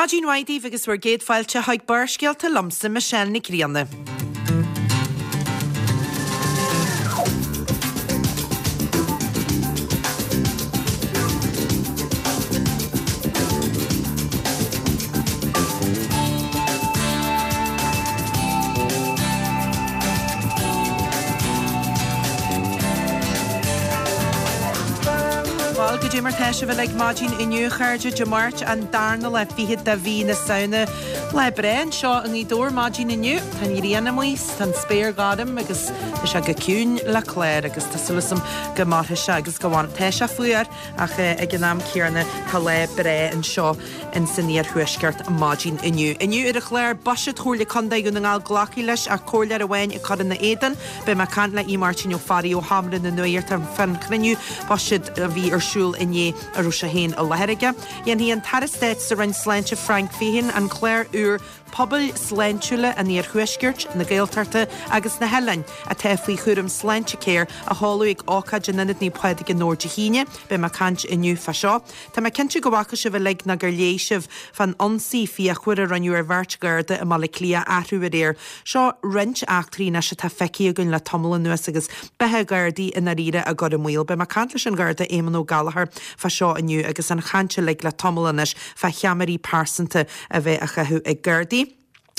Maidin mhaith daoibh agus bhur gcéad fáilte chuig Barrscéalta liomsa, Michelle Nic Grianna. Bhuel, goidé mar tá sibh uilig maidin inniu, a chairde, Dé Máirt an darna lá fichead de mhí na Samhna. Lá breá anseo i nGaoth Dobhair maidin inniu. Tá an ghrian amuigh, tá an spéir gorm agus tá sé go ciúin le clár agus tá súil agam go mairfidh sé agus go bhfanfaidh. Tá sé fuar ach ag an am céanna tá lá breá anseo in san iarthuaisceart maidin inniu. Inniu ar an chlár, Buiséad Chomhairle Contae Dhún na nGall glactha leis ach comhairleoir amháin ag cur ina éadan. Beidh mé ag caint le Aodh Máirtín Ó Fearraigh ó Sheomra na Nuachta fán chruinniú buiséid a bhí ar siúl inné a raibh sé féin i láthair aige. Dhéanfaidh an tAire Stáit sa Roinn Sláinte Frank Feighan an clár úr Pobail Sláintiúla an Iarthuaiscirt, na Gaeltachta agus na hOileáin, atá faoi chúram Sláintecare, a sheoladh ag ócáid in Ionad Naomh Pádraig i nDobhar Dé hAoine. Beidh mé ag caint inniu fá seo. Tá mé cinnte go bhfaca sibh uilig nó gur léigh sibh fán ionsaí fíochmhar a rinneadh ar bheirt Gharda i mBaile Átha Cliath athrú aréir. Seo roinnt eachtraí anois atá feicthe againn le tamall anuas agus beatha Ghardaí i ndáiríre á gcur i mbaol. Beidh mé ag caint leis an Gharda Éamonn Ó Gallchóir fá seo inniu agus an chaint uilig le tamall anois fá cheamaraí pearsanta a bheith á chaitheamh ag Gardaí.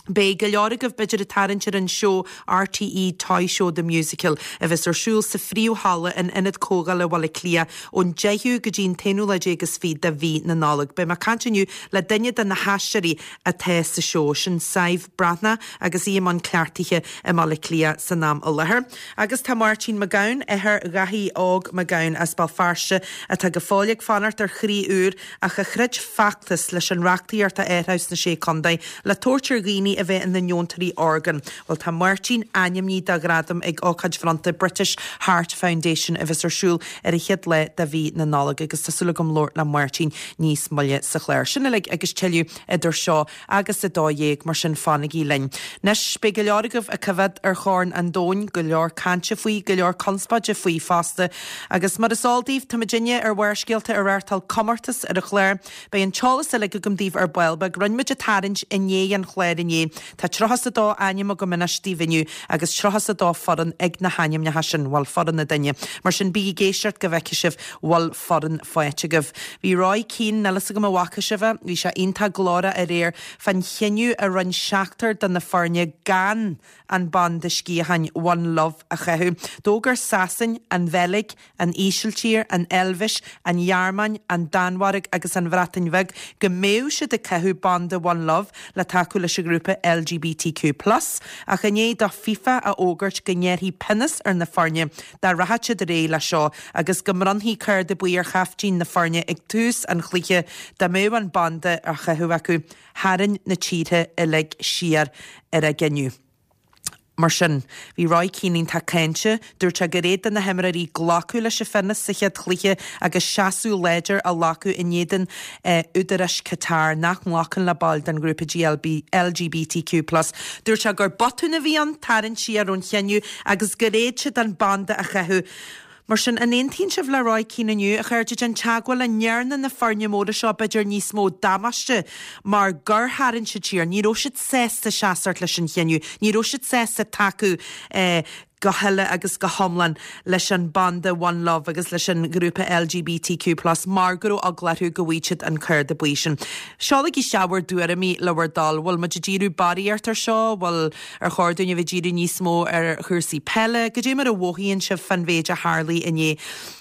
Beidh go leor agaibh b'fhéidir ag tarraingt ar an seó RTÉ Toy Show The Musical a bheas ar siúl sa phríomh-halla in Ionad Comhdhála Bhaile Átha Cliath ón 10ú go dtí an t-aonú lá déag is fiche de mhí na Nollag. Beidh mé ag caint inniu le duine de na haisteoirí atá sa seó, sin Sadhbh Breathnach agus í i mbun cleachtaithe i mBaile Átha Cliath san am i láthair. Agus tá Máirtín Mac Gabhann, athair Dhaithí Óg Mac Gabhann as Béal Feirste atá go fóill ag fanacht ar chroí úr, ach a throid feachtas leis an reachtaíocht a athrú sna Sé Contae le tabhairt ar dhaoine a bheith ina ndeontóirí orgán. Bhuel, tá Máirtín ainmnithe do ghradam ag ócáid bhronnta British Heart Foundation a bheas ar siúl ar an chéad lá de mhí na Nollag agus tá súil agam labhairt le Máirtín níos moille sa chlár. Sin uilig agus tuilleadh idir seo agus 12, mar sin fanaigí linn. Anois, beidh go leor agaibh ag coimhéad ar Chorn an Domhain, go leor cainte faoi, go leor conspóide faoi fosta. Agus mar is eol daoibh, tá muidinne ar Bharrscéalta ag reáchtáil comórtas ar an chlár. Beidh an t-eolas uilig agam daoibh ar ball beag. Rinne muid an tarraingt i ndiaidh an chláir inné. Tá 32 ainm agam anois daoibh inniu agus 32 foireann ag na hainmneacha sin, bhuel, foireann an duine. Mar sin, bígí ag éisteacht go bhfeicfidh sibh bhfuil foireann faighte agaibh. Bhí Roy Keane, níl fhios agam an bhfaca sibh é, bhí sé iontach glórach aréir fán chinneadh a rinne seachtar de na foirne gan an banda sciatháin One Love a chaitheamh. D'fhógair Sasain, an Bheilg, an Ísiltír, an Eilvéis, an Ghearmáin, an Danmhairg agus an Bhreatain Bheag go mbeadh siad ag caitheamh banda One Love le tacú leis an ghrúpa LGBTQ plus ach i ndiaidh do FIFA a fhógairt go ngearrfaí pionós ar na foirne dá rachadh siad ar aghaidh leis seo agus go mbronnfaí cárta buí ar chaiftín na foirne ag tús an chluiche dá mbeadh an banda á chaitheamh acu. Tharraing na tíortha uilig siar ar a gcinneadh. Mar sin, bhí Roy Keane iontach cáinte. Dúirt sé gur fhéad do na himreoirí glacadh leis an phionós sa chéad chluiche agus seasamh láidir a ghlacadh in éadan údaráis Qatar nach nglacann le baill den ghrúpa LGBTQ plus. Dúirt sé gur botún a bhí ann tarraingt siar ón chinneadh agus gur fhéad siad an banda a chaitheamh. Mar sin, an aontaíonn sibh le Roy Keane inniu, a chairde? Déan teagmháil an ndearna na foirne móra seo b'fhéidir níos mó damáiste mar gur tharraing siad siar. Ní raibh siad sásta seasamh leis an chinneadh. Ní raibh siad sásta tacú go huile agus go hiomlán leis an banda One Love agus leis an ghrúpa LGBTQ plus mar go raibh eagla orthu go bhfaigheadh siad an cárta buí sin. Seolaigí isteach bhur dtuairimí le bhur dtoil. Bhfuil muid ag díriú barraíocht ar seo? Bhfuil Ar chóir dúinn a bheith ag díriú níos mó ar chúrsaí peile? Goidé mar a mhothaíonn sibh fán mhéid a tharlaigh inné?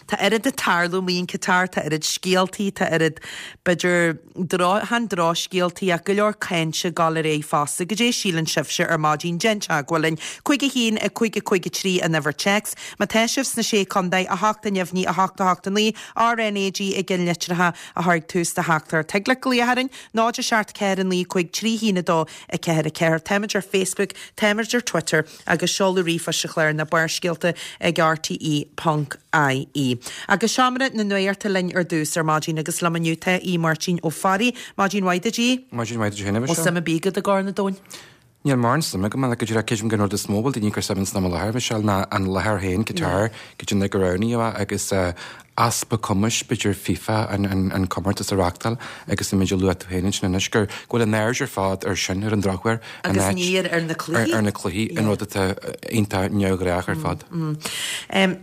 Tá oiread ag tarlú amuigh in Qatar, tá oiread scéaltaí, tá oiread, b'fhéidir, dro, chan drochscéaltaí ach go leor cainte ag dul ar aghaidh fosta. Goidé a síleann sibhse ar maidin? Déan teagmháil linn. 5 1 5 5 3 an uimhir téacs. Má tá sibh sna Sé Contae, 8 a neamhní 8 8 9, RNAG i gceannlitreacha a chur ag tús do theachtaireacht. Thig leat glaoch orainn, 0 7 4 9 5 3 1 2 4 4. Táimid ar Facebook, táimid ar Twitter agus seoladh ríomhphoist an chláir ná Barrscéalta ag rte ponc ie. Agus Seomra na Nuachta linn ar dtús ar maidin agus liom inniu tá Aodh Máirtín Ó Fearraigh. Maidin mhaith duit, Aodh. Maidin mhaith duit féin, a Bhfuil suim ar bith agat i gCorn an Domhain? Níl mórán suim agam, ach go díreach creidim gur an rud is mó a bhfuil daoine ag cur suim ins an am i láthair, Michelle, ná an láthair féin, Qatar, goidé gur roghnaíodh é agus. easpa cumais, b'fhéidir, FIFA an comórtas a reáchtáil agus an méid a luaigh tú féin ansin anois, go bhfuil an aird ar fad ar sin, ar an drochuair, in Agus ní ar na cluichí. Ar na cluichí, an rud atá iontach neamhghnách ar fad.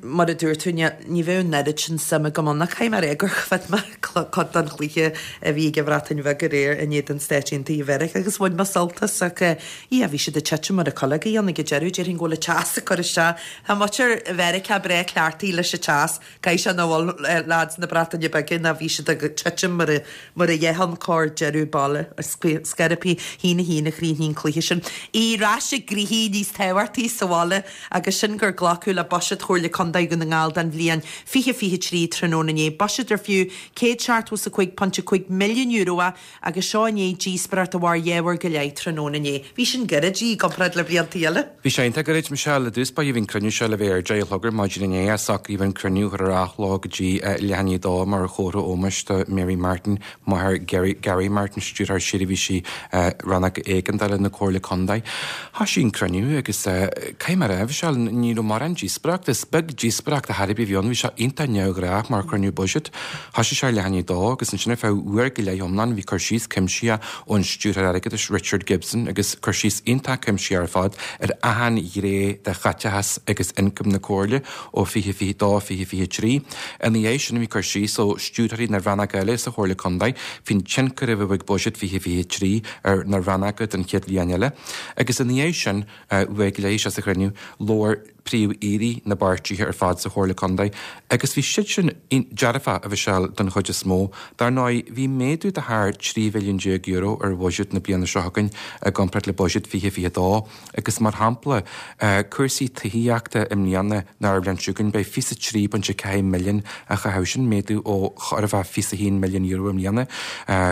Mar a dúirt tú, ní bheadh an oiread sin suim agam ann, ach caithfidh mé a rá gur choimhéad mé cuid den chluiche a bhí ag an Bhreatain Bheag aréir in éadan Stáit Aontaithe Mheiriceá agus bhain mé sult as ach yeah, bhí siad ag titim mar na cuileoga ann ag an deireadh, déarfainn go bhfuil an teas ag cur isteach. Tá muintir Mheiriceá breá cleachtaithe leis an teas. Caithfidh sé nach bhfuil leaids na Breataine Bige ná bhí siad ag titim mar a mar a dhéarfá corr deireadh baile scairpí 1-1 a chríochnaigh an cluiche sin. Ar ais ag gnoithí níos tábhachtaí sa bhaile agus sin gur glacadh le Buiséad Chomhairle Contae Dhún na nGall don bhliain 2023 tráthnóna inné. Buiséad ar fiú €175.5 milliún é Agus seo i ndiaidh díospóireacht a mhair dhá uair go leith tráthnóna inné. Bhí sin gairid i gcomparáid le blianta eile. Bhí sé iontach gairid, Michelle. I dtús báire bhí an cruinniú seo le bheith ar 10 a chlog ar maidin inné ach socraíodh an cruinniú a chur ar athló go dtí leath i ndiaidh a dó mar chomhartha ómóis do Mary Martin, máthair Gerry, Gary Martin, Stiúrthóir Seirbhísí Rannóg Éigeandála na Comhairle Contae. Thoisigh an cruinniú agus caithfidh mé a rá, Michelle, ní raibh mórán díospóireachta, is beag díospóireacht ar chor ar bith a bhí ann, bhí sé iontach neamhghnách mar chruinniú buiséid. Thoisigh sé ar leath i ndiaidh a dó agus ansin ar feadh uair go leith iomlán bhí cur síos cuimsitheach ón Stiúrthóir Airgeadais Richard Gibson agus cur síos iontach cuimsitheach ar fad ar achan ghné de chaiteachas agus ioncam na Comhairle ó 2022, 2023. Ina dhiaidh sin bhí cur síos ó stiúrthóirí na rannóga eile sa Chomhairle Contae faoin tionchar a bheadh ag Buiséad 2023 ar na rannóga don chéad bhliain eile agus ina dhiaidh sin uair go leith isteach sa chruinniú labhair príomh-aoirí na bpáirtithe ar fad sa Chomhairle Contae agus bhí siad sin dearfach, a Mhichelle, don chuid is mó. Dar ndóigh, bhí méadú de thar €13 mhilliún ar bhuiséad na bliana seo chugainn i gcomparáid le buiséad 2022 agus mar shampla, cúrsaí tithíochta i mbliana nó ar an bhliain seo chugainn beidh €23.4 milliún á chaitheamh, sin méadú ó chóir a bheith €21 milliún i mbliana.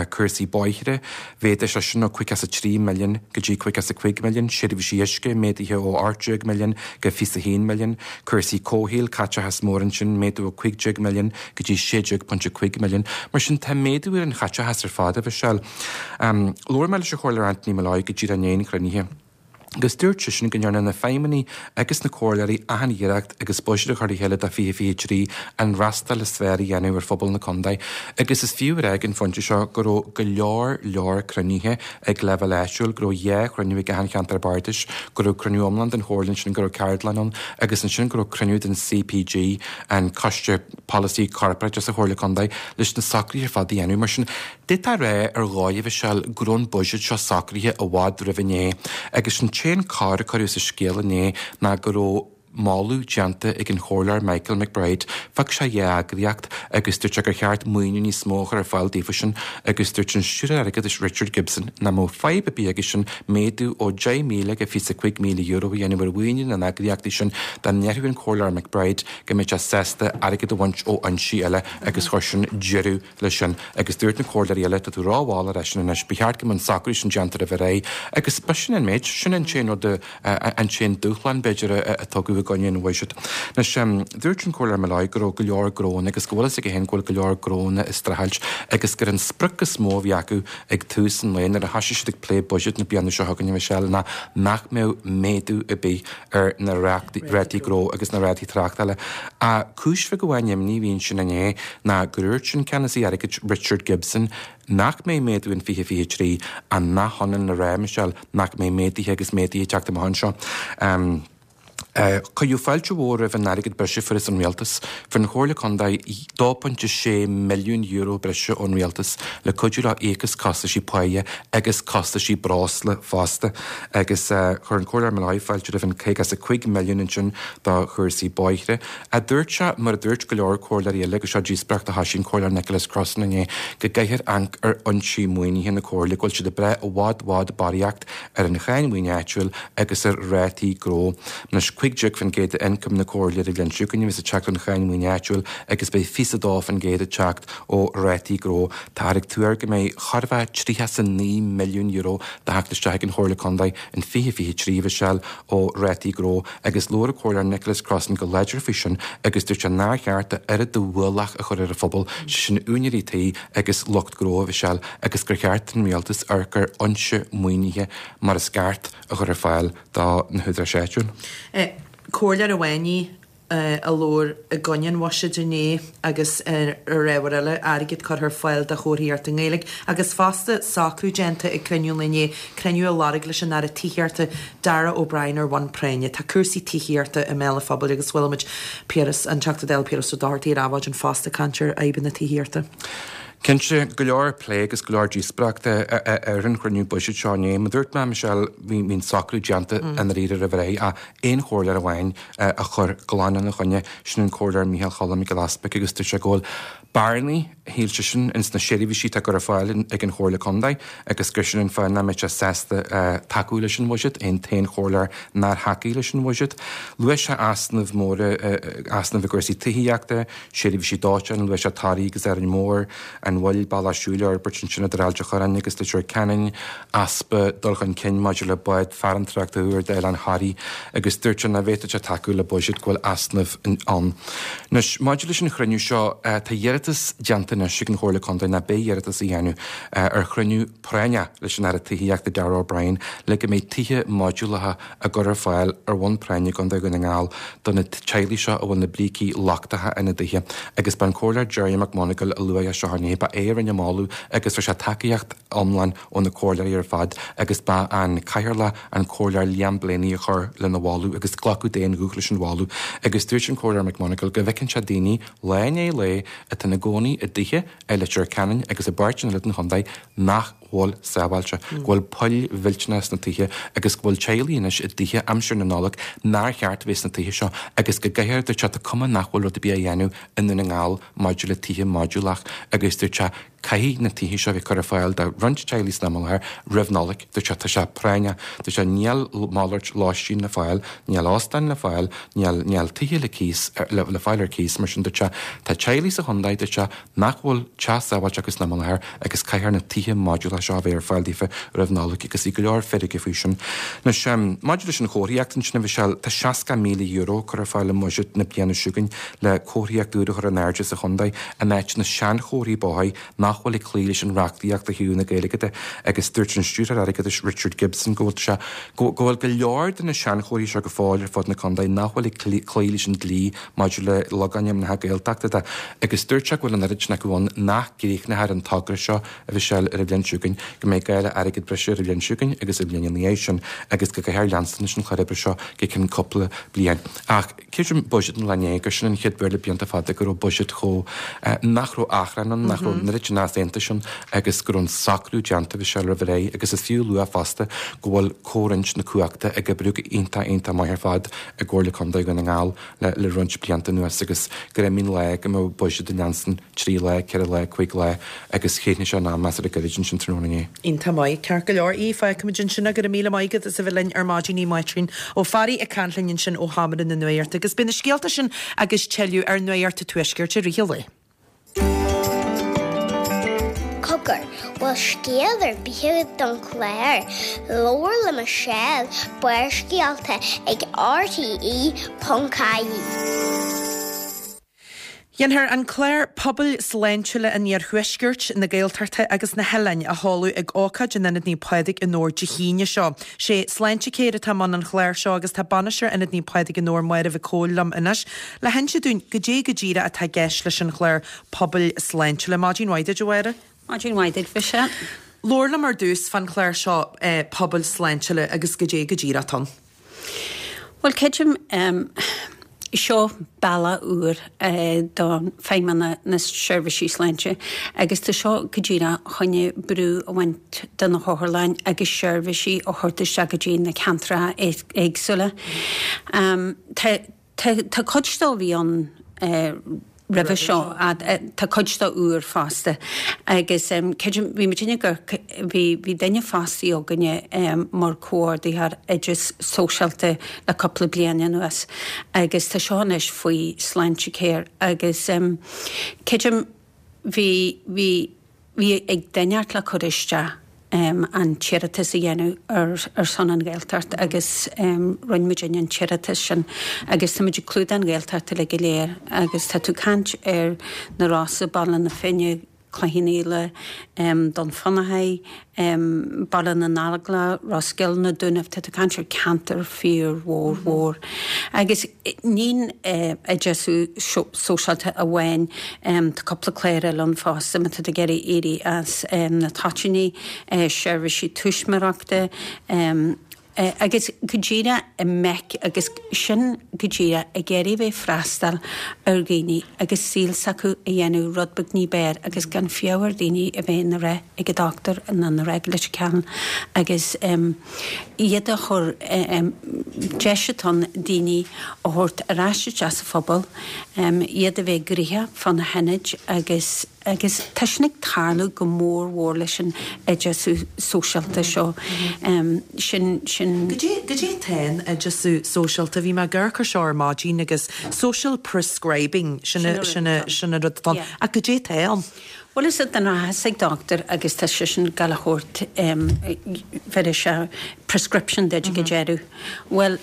Cúrsaí bóithre, Mhéadaigh sé sin ó 53 milliún go dtí 55 milliún, seirbhísí uisce, méadaithe ó 18 milliún go 21 milliún, cúrsaí comhshaoil, caiteachas mór ansin, méadú ó 15 milliún go dtí 16.5 milliún. Mar sin, tá méadú ar an chaiteachas ar fad, a Mhichelle. Labhair mé leis an Chomhairleoir Anthony Molloy go díreach i ndiaidh an chruinnithe. Agus dúirt seisean go ndearna na feidhmeannaigh agus na comhairleoirí achan iarracht agus buiséad a chur le chéile do 2023 an fhreastal is fearr a dhéanamh ar phobal na contae. Agus is fiú a rá ag an phointe seo go raibh go leor leor cruinnithe ag leibhéal áitiúil, go raibh dhá chruinniú ag achan cheantar bardais, go raibh cruinniú iomlán den chomhairle ansin, go raibh ceardlann ann agus ansin go raibh cruinniú den CPG, an Coiste Polasaí Corparáideach sa Chomhairle Contae, leis na socruithe ar fad a dhéanamh. Mar sin. D'fhéadfá a rá ar dhóigh, a Mhichelle, go raibh an buiséad seo socraithe i bhfad roimh inné, agus an t-aon cor a cuireadh sa scéal inné ná go raibh moladh déanta ag an Chomhairleoir Michael McBride. Phioc sé dhá eagraíocht agus dúirt sé gur cheart maoiniú níos mó a chur ar fáil daofa sin agus dúirt an Stiúrthóir Airgeadais Richard Gibson nach mbeadh fadhb ar bith aige sin méadú ó €10,000 go €25,000 a dhéanamh ar mhaoiniú na n-eagraíochtaí sin dá ndéarfadh an Comhairleoir McBride go mbeadh sé sásta airgead a bhaint ó fhoinsí eile agus chuir sin deireadh leis sin agus dúirt na comhairleoirí eile, tá tú rómhall ar eisean anois, ba cheart go mbeadh an socrú sin déanta roimh ré agus b'shin an méid, sin an t-aon rud, an t-aon dúshlán b'fhéidir a tugadh i gcoinne an bhuiséid. Anois, dúirt an Comhairleoir Molloy go raibh go leor gnóanna agus go bhfuil fhios aige féin go bhfuil go leor gnóanna ag streachailt agus gur an sprioc is mó a bhí acu ag tús an lae nuair a thoisigh siad ag plé buiséad na bliana seo chugainn, a Mhichelle, ná nach mbeadh méadú ar bith ar na rátaí gnó agus na rátaí tráchtála. Ach cúis bheag amháin imní a bhí ansin inné ná gur dhúirt an Ceannasaí Airgid Richard Gibson nach mbeidh méadú in 2023 ach nach ionann le rá, Michelle, nach mbeidh méaduithe agus méaduithe ag teacht amach anseo. Cuireadh fáilte mhór roimh an airgead breise a fuarthas ón Rialtas. Fuair an Chomhairle Contae €2.6 milliún breise ón Rialtas le cuidiú leo íoc as costaisí páighe agus costaisí breosla fosta. Agus chuir an Comhairleoir Molloy fáilte roimh an 55 milliún ansin do chúrsaí bóithre. A dúirt sé, mar a dúirt go leor comhairleoirí eile, agus seo díospóireacht a thoisigh an Comhairleoir Nicholas Crossan inné, go gcaithfear amharc ar fhoinsí maoinithe na Comhairle, go bhfuil siad ag brath i bhfad bhfad barraíocht ar an cháin mhaoine áitiúil agus ar rátaí gnó. Anois 15% d'ioncam na Comhairle ar an bhliain seo chugainn a bheas ag teacht ón cháin mhaoine áitiúil agus beidh 22% ag teacht ó rátaí gnó. Táthar ag tuar go mbeidh chóir a bheith €39 milliún de theacht isteach ag an Chomhairle Contae in 2023, a Mhichelle, ó rátaí gnó agus labhair an Comhairleoir Nicholas Crossan go láidir faoi sin agus dúirt sé nár cheart a oiread de ualach a chur ar an phobal, sé sin úinéirí tí agus lucht gnó, a Mhichelle, agus gur cheart don Rialtas amharc ar fhoinse maoinithe mar is ceart a chur ar fáil do na húdaráis áitiúil. Comhairleoir amháin í. a labhair i gcoinne an bhuiséid inné agus ar ábhair eile, airgead curtha ar fáil do chomharthaíocht i nGaeilge agus fosta socrú déanta ag cruinniú an lae inné, cruinniú a lorg leis an Aire Tithíochta Darragh O'Brien ar bhonn práinne. Tá cúrsaí tithíochta i mbéal an phobail agus chuala muid Piaras, an Teachta Dála Piaras Ó Dochartaigh ar Adhmhaidin fosta ag caint ar fhadhbanna tithíochta. Cinnte, go leor plé agus go leor díospóireachta ar an chruinniú buiséid seo inné. Mar a dúirt mé, Michelle, bhí an socrú déanta i ndáiríre roimh ré ach aon chomhairleoir amháin a chuir glan ina choinne, sin an Comhairleoir Micheál Choilm Mac Giolla Easpaig agus dúirt sé go bhfuil bearnaí, shíl seisean, ins na seirbhísí atá á gcur ar fáil ag an Chomhairle Contae agus gur sin an fáth nach mbeadh sé sásta tacú leis an bhuiséad, é an t-aon chomhairleoir nár thacaigh leis an bhuiséad. Luaigh sé easnaimh mhóra, easnaimh i gcúrsaí tithíochta, seirbhísí dóiteáin, luaigh sé Toraigh agus Árainn Mhór, an mhoill bealach siúil a fhorbairt ansin idir Ailt a' Chorráin agus Leitir Ceanainn, easpa dul chun cinn maidir le bád farantóireachta úr d'Oileán Thoraí agus dúirt sé nach bhféadfadh sé tacú le buiséad go bhfuil easnaimh ann. Anois, maidir leis an chruinniú seo, tá iarratas déanta anois ag an Chomhairle Contae, nó beidh iarratas á dhéanamh, ar chruinniú práinneach leis an Aire Tithíochta Darragh O'Brien le go mbeidh tithe modúlacha á gcur ar fáil ar bhonn práinne i gContae Dhún na nGall do na teaghlaigh seo a bhfuil na brící lochtacha ina dtithe agus ba an Comhairleoir Gerry McMonagall a luaigh é seo inné, ba é a rinne an moladh agus fuair sé tacaíocht iomlán ó na comhairleoirí ar fad agus ba an Cathaoirleach an Comhairleoir Liam Blaney a chuir lena mholadh agus glacadh d'aon ghuth leis an mholadh agus dúirt an Comhairleoir McMonagall go bhfeiceann sé daoine lá i ndiaidh lae atá ina gcónaí i dtithe i Leitir Ceanainn agus i bpáirteanna eile den chontae nach bhfuil sábháilte, go bhfuil poill mhillteanacha sna tithe agus go bhfuil teaghlaigh anois i dtithe aimsir na Nollag nár cheart a bheith sna tithe seo agus go gcaithfear, dúirt sé, tá cuma nach bhfuil rud ar bith á dhéanamh i nDún na nGall maidir le tithe modúlach agus dúirt sé caithfidh na tithe seo a bheith curtha ar fáil do roinnt teaghlaigh san am i láthair roimh Nollaig. Dúirt sé tá sé práinneach, dúirt sé níl malairt lóistín le fáil, níl óstáin le fáil, níl níl tithe le cíos le fáil ar cíos mar sin dúirt sé tá teaghlaigh sa chontae, dúirt sé, nach bhfuil teach sábháilte acu san am i láthair agus caithfear na tithe modúlacha seo a bheith ar fáil daofa roimh Nollaig agus bhí go leor feirge faoi sin. Anois, maidir leis an chomharthaíocht ansin, a Mhichelle, tá €60,000 curtha ar fáil i mbuiséad na bliana seo chugainn le comharthaíocht úr a chur in airde sa chontae in áit na seanchomharthaí bóthair nach bhfuil ag cloí leis an reachtaíocht ó thaobh na Gaeilge de agus dúirt an Stiúrthóir Airgeadais Richard Gibson go bhfuil sé go bhfuil go leor de na seanchomharthaí seo go fóill ar fud na contae nach bhfuil ag cloí leis an dlí maidir le logainmneacha Gaeltachta de agus dúirt sé go bhfuil an oiread sin acu ann nach gcríochnófar an togra seo, a Mhichelle, ar an bhliain seo chugainn, go mbeidh gá le airgead breise ar an bhliain seo chugainn agus an bhliain ina dhiaidh sin agus go gcaithfear leanstan leis an chlár oibre seo go ceann cúpla bliain. Ach creidim buiséad an lae inné gur sin an chéad uair le blianta fada go raibh buiséad chomh, nach raibh achrann ann, nach raibh an oiread sin easaontais ann agus go raibh an socrú déanta, a Mhichelle, roimh ré agus is fiú a lua fosta go bhfuil comhroinnt na cumhachta ag oibriú go iontach iontach maith ar fad i gComhairle Contae Dhún na nGall le roinnt blianta anuas agus gur imigh an lá go mbeadh buiséad ag leanstan trí lá, ceithre lá, cuig lá agus chríochnaigh sé in am measartha gairid ansin tráthnóna inné. Iontach maith, ceart go leor. Aodh, fágfaimid ansin é. Go raibh míle maith agat as a bheith linn ar maidin Aodh Máirtín Ó Fearraigh ag caint linn ansin ó sheomra na nuachta agus beidh na scéalta sin agus tuilleadh ar Nuacht an Tuaiscirt i rith an lae. Cogar, bhfuil scéal ar bith agat don chlár? Labhair le Michelle, Barrscéalta ag RTE.ie. Dhéanfar an clár Pobail Sláintiúla an Iarthuaiscirt, na Gaeltachta agus na hOileáin a sheoladh ag ócáid in Ionad Naomh Pádraig i nDobhar Dé hAoine seo. Sé Sláintecare atá i mbun an chláir seo agus tá Bainisteoir Ionad Naomh Pádraig i nDobhar Máire Mhic Cóil liom anois le hinse dúinn goidé go díreach atá i gceist leis an chlár Pobail Sláintiúla. Maidin mhaith duit, a Mháire. Maidin mhaith duit, Mhichelle. Labhair liom ar dtús fán chlár seo Pobail Sláintiúla agus goidé go díreach atá ann. Bhuel, creidim, seo bealach úr do Feidhmeannacht na Seirbhísí Sláinte agus tá seo go díreach chun brú a bhaint de na hotharlanna agus seirbhísí a thabhairt isteach go dtí na ceantracha éagsúla. Tá Tá cuid de a bhí ann roimhe seo, tá cuid de úr fosta agus creidim, bhí muidinne ag amharc, bhí, bhí duine fostaithe againne mar comhordaitheoir oideas sóisialta le cúpla bliain anuas agus tá seo anois faoi Sláintecare agus creidim bhí, bhí, Bhí ag duine inteacht le cur isteach an t-iarratas a dhéanamh ar son an Ghaeltacht agus rinne muidinne an t-iarratas sin agus tá muid ag clúdach an Ghaeltacht uilig go léir agus tá tú ag caint ar na Rosa, Baile na Finne. Cloich Cheann Fhaola, Dún Fionnachaidh, Baile na nGallóglach, Ros Goill, Na Dúnaibh, tá tú ag caint ar ceantar fíor mhór mhór. Agus níl oideachasú sóisialta amháin, tá cúpla clár eile ann fosta má tá tú ag iarraidh éirí as na toitíní, seirbhísí tuismitheoireachta, Agus go díreach i mBeic agus sin go díreach ag iarraidh bheith freastal ar dhaoine agus saol s'acu a dhéanamh rud beag ní b'fhearr agus gan fiú ar daoine a bheith ina rith ag an dochtúir nó ina rith leis an ceann agus iad a chur deis atá ann daoine a thabhairt ar ais isteach sa phobal, iad a bheith gnoitheach fá na hionaid agus. Agus tá sin ag tarlú go mór mhór leis an oideachasú sóisialta seo. Sin, sin. Goidé, goidé atá in oideachasú sóisialta? Bhí mé ag amharc ar seo ar maidin agus social prescribing, sin a, sin a, sin an rud atá ann. Ach goidé atá ann? Bhuel, is é den rachas ag dochtúir agus tá seisean ag gabháil a thabhairt, bheir sé prescription duit ag an deireadh. Bhuel,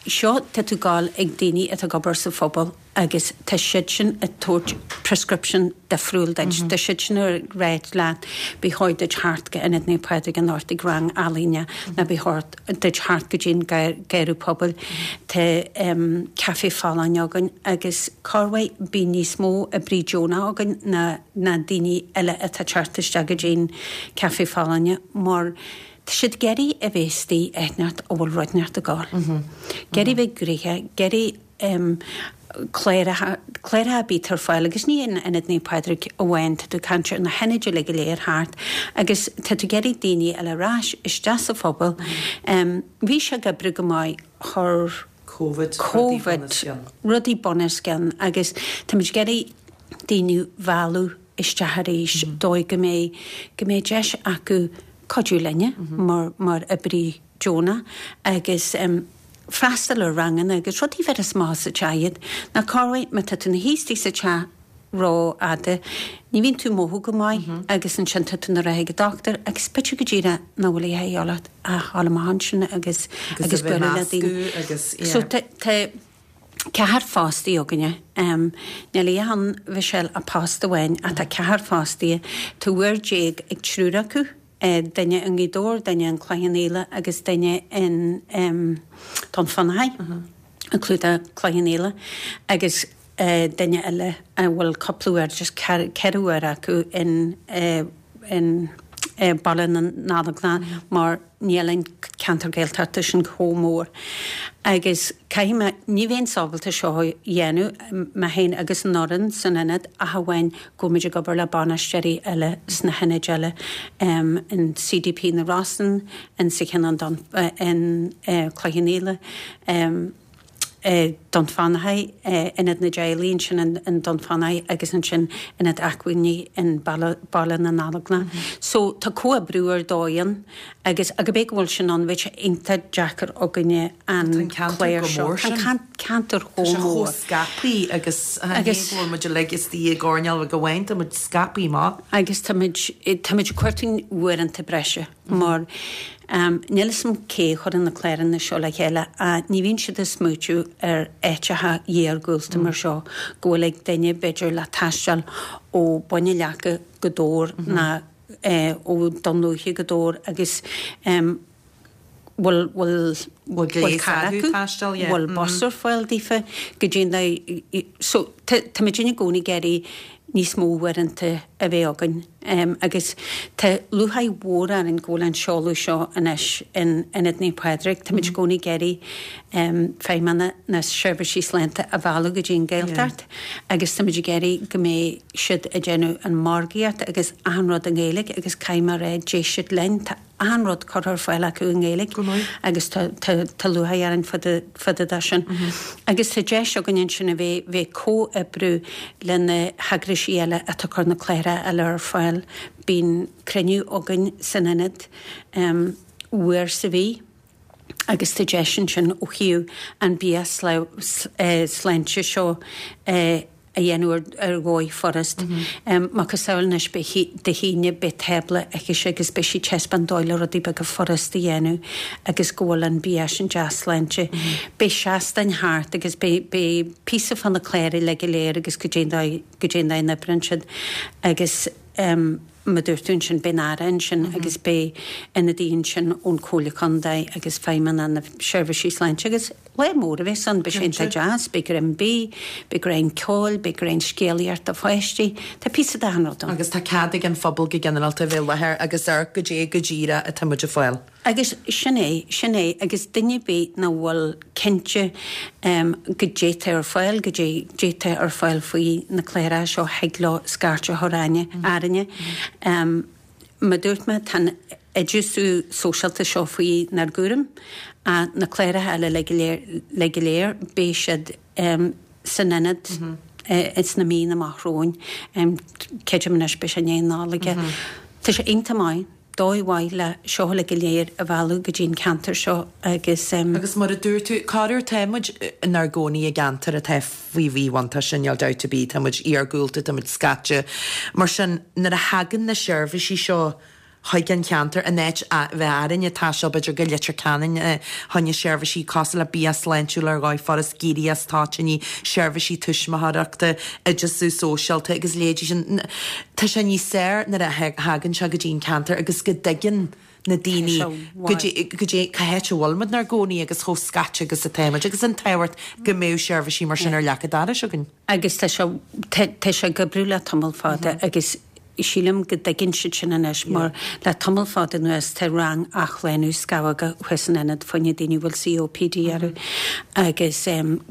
seo, tá tú ag gabháil ag daoine atá ag obair sa phobal. agus tá siad sin ag tabhairt prescription difriúil duit. Tá siad sin ag ráit leat ba chóir duit theacht go Ionad Naomh Pádraig anocht ag rang ealaíne nó ba chóir duit theacht go dtí an Garraí Pobail. Tá Café Folláin againn agus corruair bíonn níos mó oibrí deonach againn ná ná daoine eile atá ag teacht isteach go dtí an Café Folláine mar tá siad ag iarraidh a bheith istigh áit inteacht a bhfuil rud inteacht ag gabháil. Ag iarraidh bheith gnoitheach, ag iarraidh cláracha, cláracha ar bith ar fáil agus ní in Ionad Naomh Pádraig amháin, tá tú ag caint ar na hionaid uilig go léir thart agus tá tú ag iarraidh daoine a fháil ar ais isteach sa phobal. Bhí sé ag oibriú go maith, chuir Covid rudaí bunoscionn. rudaí bunoscionn agus táimid ag iarraidh daoine a mhealladh isteach arís dóigh go mbeidh, go mbeidh deis acu cuidiú linne mar, mar oibrí deonach agus freastal ar ranganna agus rudaí a bheireas amach as an teach iad. Nó corruair má tá tú ina shuí istigh sa teach ró-fhada, ní bhíonn tú ag mothú go maith agus ansin tá tú ina rith ag an dochtúir agus b'fhéidir go díreach nach bhfuil a dhath leat ach a dhul amach ansin agus agus bualadh le daoine. So tá ceathrar fostaí againne. Níl a dhath ann, Mhichelle, ach post amháin ach tá ceathrar fostaithe. Tá uair déag ag triúr acu. duine i nGaoth Dobhair, duine in Cloich Cheann Fhaola agus duine in Dún Fionnachaidh, ag clúdach Cloich Cheann Fhaola agus duine eile a bhfuil cúpla uair, just ceithre uair acu in in Baile na nGallóglach mar níl an ceantar Gaeltachta sin chomh mór. Agus caithfidh mé, ní bheinnse ábalta seo a dhéanamh, mé féin agus an fhoireann san ionad ach amháin go bhfuil muid ag obair le bainisteoirí eile sna hionaid eile, in CDP na Rosann, in sa cheann in Cloich Cheann Fhaola, Dún Fionnachaidh, Ionad na dTeaghlach ansin in Dún Fionnachaidh agus ansin Ionad Acmhainní in Baile na nGallóglach. So tá comhoibriú ar dóigh ann agus ach cibé go bhfuil sin ann bheadh sé iontach deacair againne an clár seo. Tá an ceantar chomh mór. Tá sé chomh scaipthe agus ní go bhfuil muid uilig istigh i gcoirnéal bheag amháin, tá muid scaipthe amach. Agus tá muid, tá muid ag cuartú uaireanta breise mar níl 'fhios a'm cé a chuireann na cláranna seo le chéile ach ní bhíonn siad ag smaoitiú ar áiteacha iargúlta mar seo go bhfuil ag duine b'fhéidir le taisteal ó Bhun an Leaca go Dobhar ná ó Dún Lúiche go Dobhar agus bhfuil bhfuil bhfuil carr acu, bhfuil bus ar fáil daofa go dtí an so tá muid i gcónaí ag iarraidh níos mó uaireanta a bheith againn agus tá lúcháir mhór orainn go bhfuil an seoladh seo anois in Ionad Naomh Pádraig. Tá muid i gcónaí ag iarraidh feidhmeanna na seirbhísí sláinte a mhealladh go dtí an Ghaeltacht agus tá muid ag iarraidh go mbeidh siad ag déanamh an margaíocht agus achan rud i nGaeilge agus caithfidh mé a rá d'éist siad linn. Tá achan rud curtha ar fáil acu i nGaeilge agus tá tá lúcháir orainn fá dtaobh de sin. Agus tá deis againn ansin a bheith bheith comhoibriú le na heagraisí eile atá ag cur na cláracha eile ar fáil. Bíonn cruinniú againn san ionad uair sa mhí agus tá deis ansin ó thaobh an bia sláinte seo a dhéanamh ar dhóigh furast. Macasamhail anois beidh Dé hAoine beidh tábla aici agus beidh sí ag taispeáint dóigh le rudaí beaga furast a dhéanamh agus go bhfuil an bia sin dea-sláinte. Beidh seastáin thart agus beidh beidh píosa fá na cláir uilig go léir agus goidé an dóigh goidé an dóigh a n-oibríonn siad agus. Mar a dúirt tú ansin, beidh an Aire ansin agus beidh ionadaí ansin ón Chomhairle Contae agus Feidhmeannach na Seirbhísí Sláinte agus lá mór a bheas ann, beidh sé iontach deas, beidh greim bídh, beidh greim ceoil, beidh greim scéalaíocht do pháistí, tá píosa d'achan rud ann. Agus tá cead ag an phobal go ginearálta a bheith i láthair agus amharc goidé go díreach atá muid ag fáil. Agus sin é, sin é, agus duine ar bith nach bhfuil cinnte goidé tá ar fáil, goidé, goidé tá ar fáil faoi na cláracha seo, thig leo scairt a chur orainne. Mar a dúirt mé, tá an oideasú sóisialta seo faoi nár gcúram, ach na cláracha eile uilig go léir, uilig go léir, beidh siad san ionad ins na míonna amach romhainn. Creidim anois, beidh sé i ndiaidh na Nollag. Tá sé iontach maith. dóigh mhaith le seo uilig go léir a mhealladh go dtí an ceantar seo agus. Agus mar a dúirt tú, corruair tá muid inár gcónaí i gceantar atá faoi mhíbhuntáiste, níl dabht ar bith, tá muid iargúlta, tá muid scaite. Mar sin, nuair a thagann na seirbhísí seo chuig an cheantar, in áit a bheith orainn ag taisteal b'fhéidir go Leitir Ceanainn fá choinne seirbhísí cosúil le bia sláintiúil ar dhóigh, furast ag éirí as toitíní, seirbhísí tuismitheoireachta, oideasú sóisialta agus a leithéidí sin. Tá sé níos fearr nuair a thagann sé go dtí an ceantar agus go dtuigeann na daoine goidé cá háit a bhfuil muid inár gcónaí agus chomh scaite agus atá muid agus an tábhacht go mbeadh seirbhísí mar sin ar leac an dorais againn. Agus tá sé, tá sé ag oibriú le tamall fada agus sílim go dtuigeann siad sin anois mar le tamall fada anuas tá rang athshlánú scamhóga thuas san ionad fá choinne daoine a bhfuil COPD orthu agus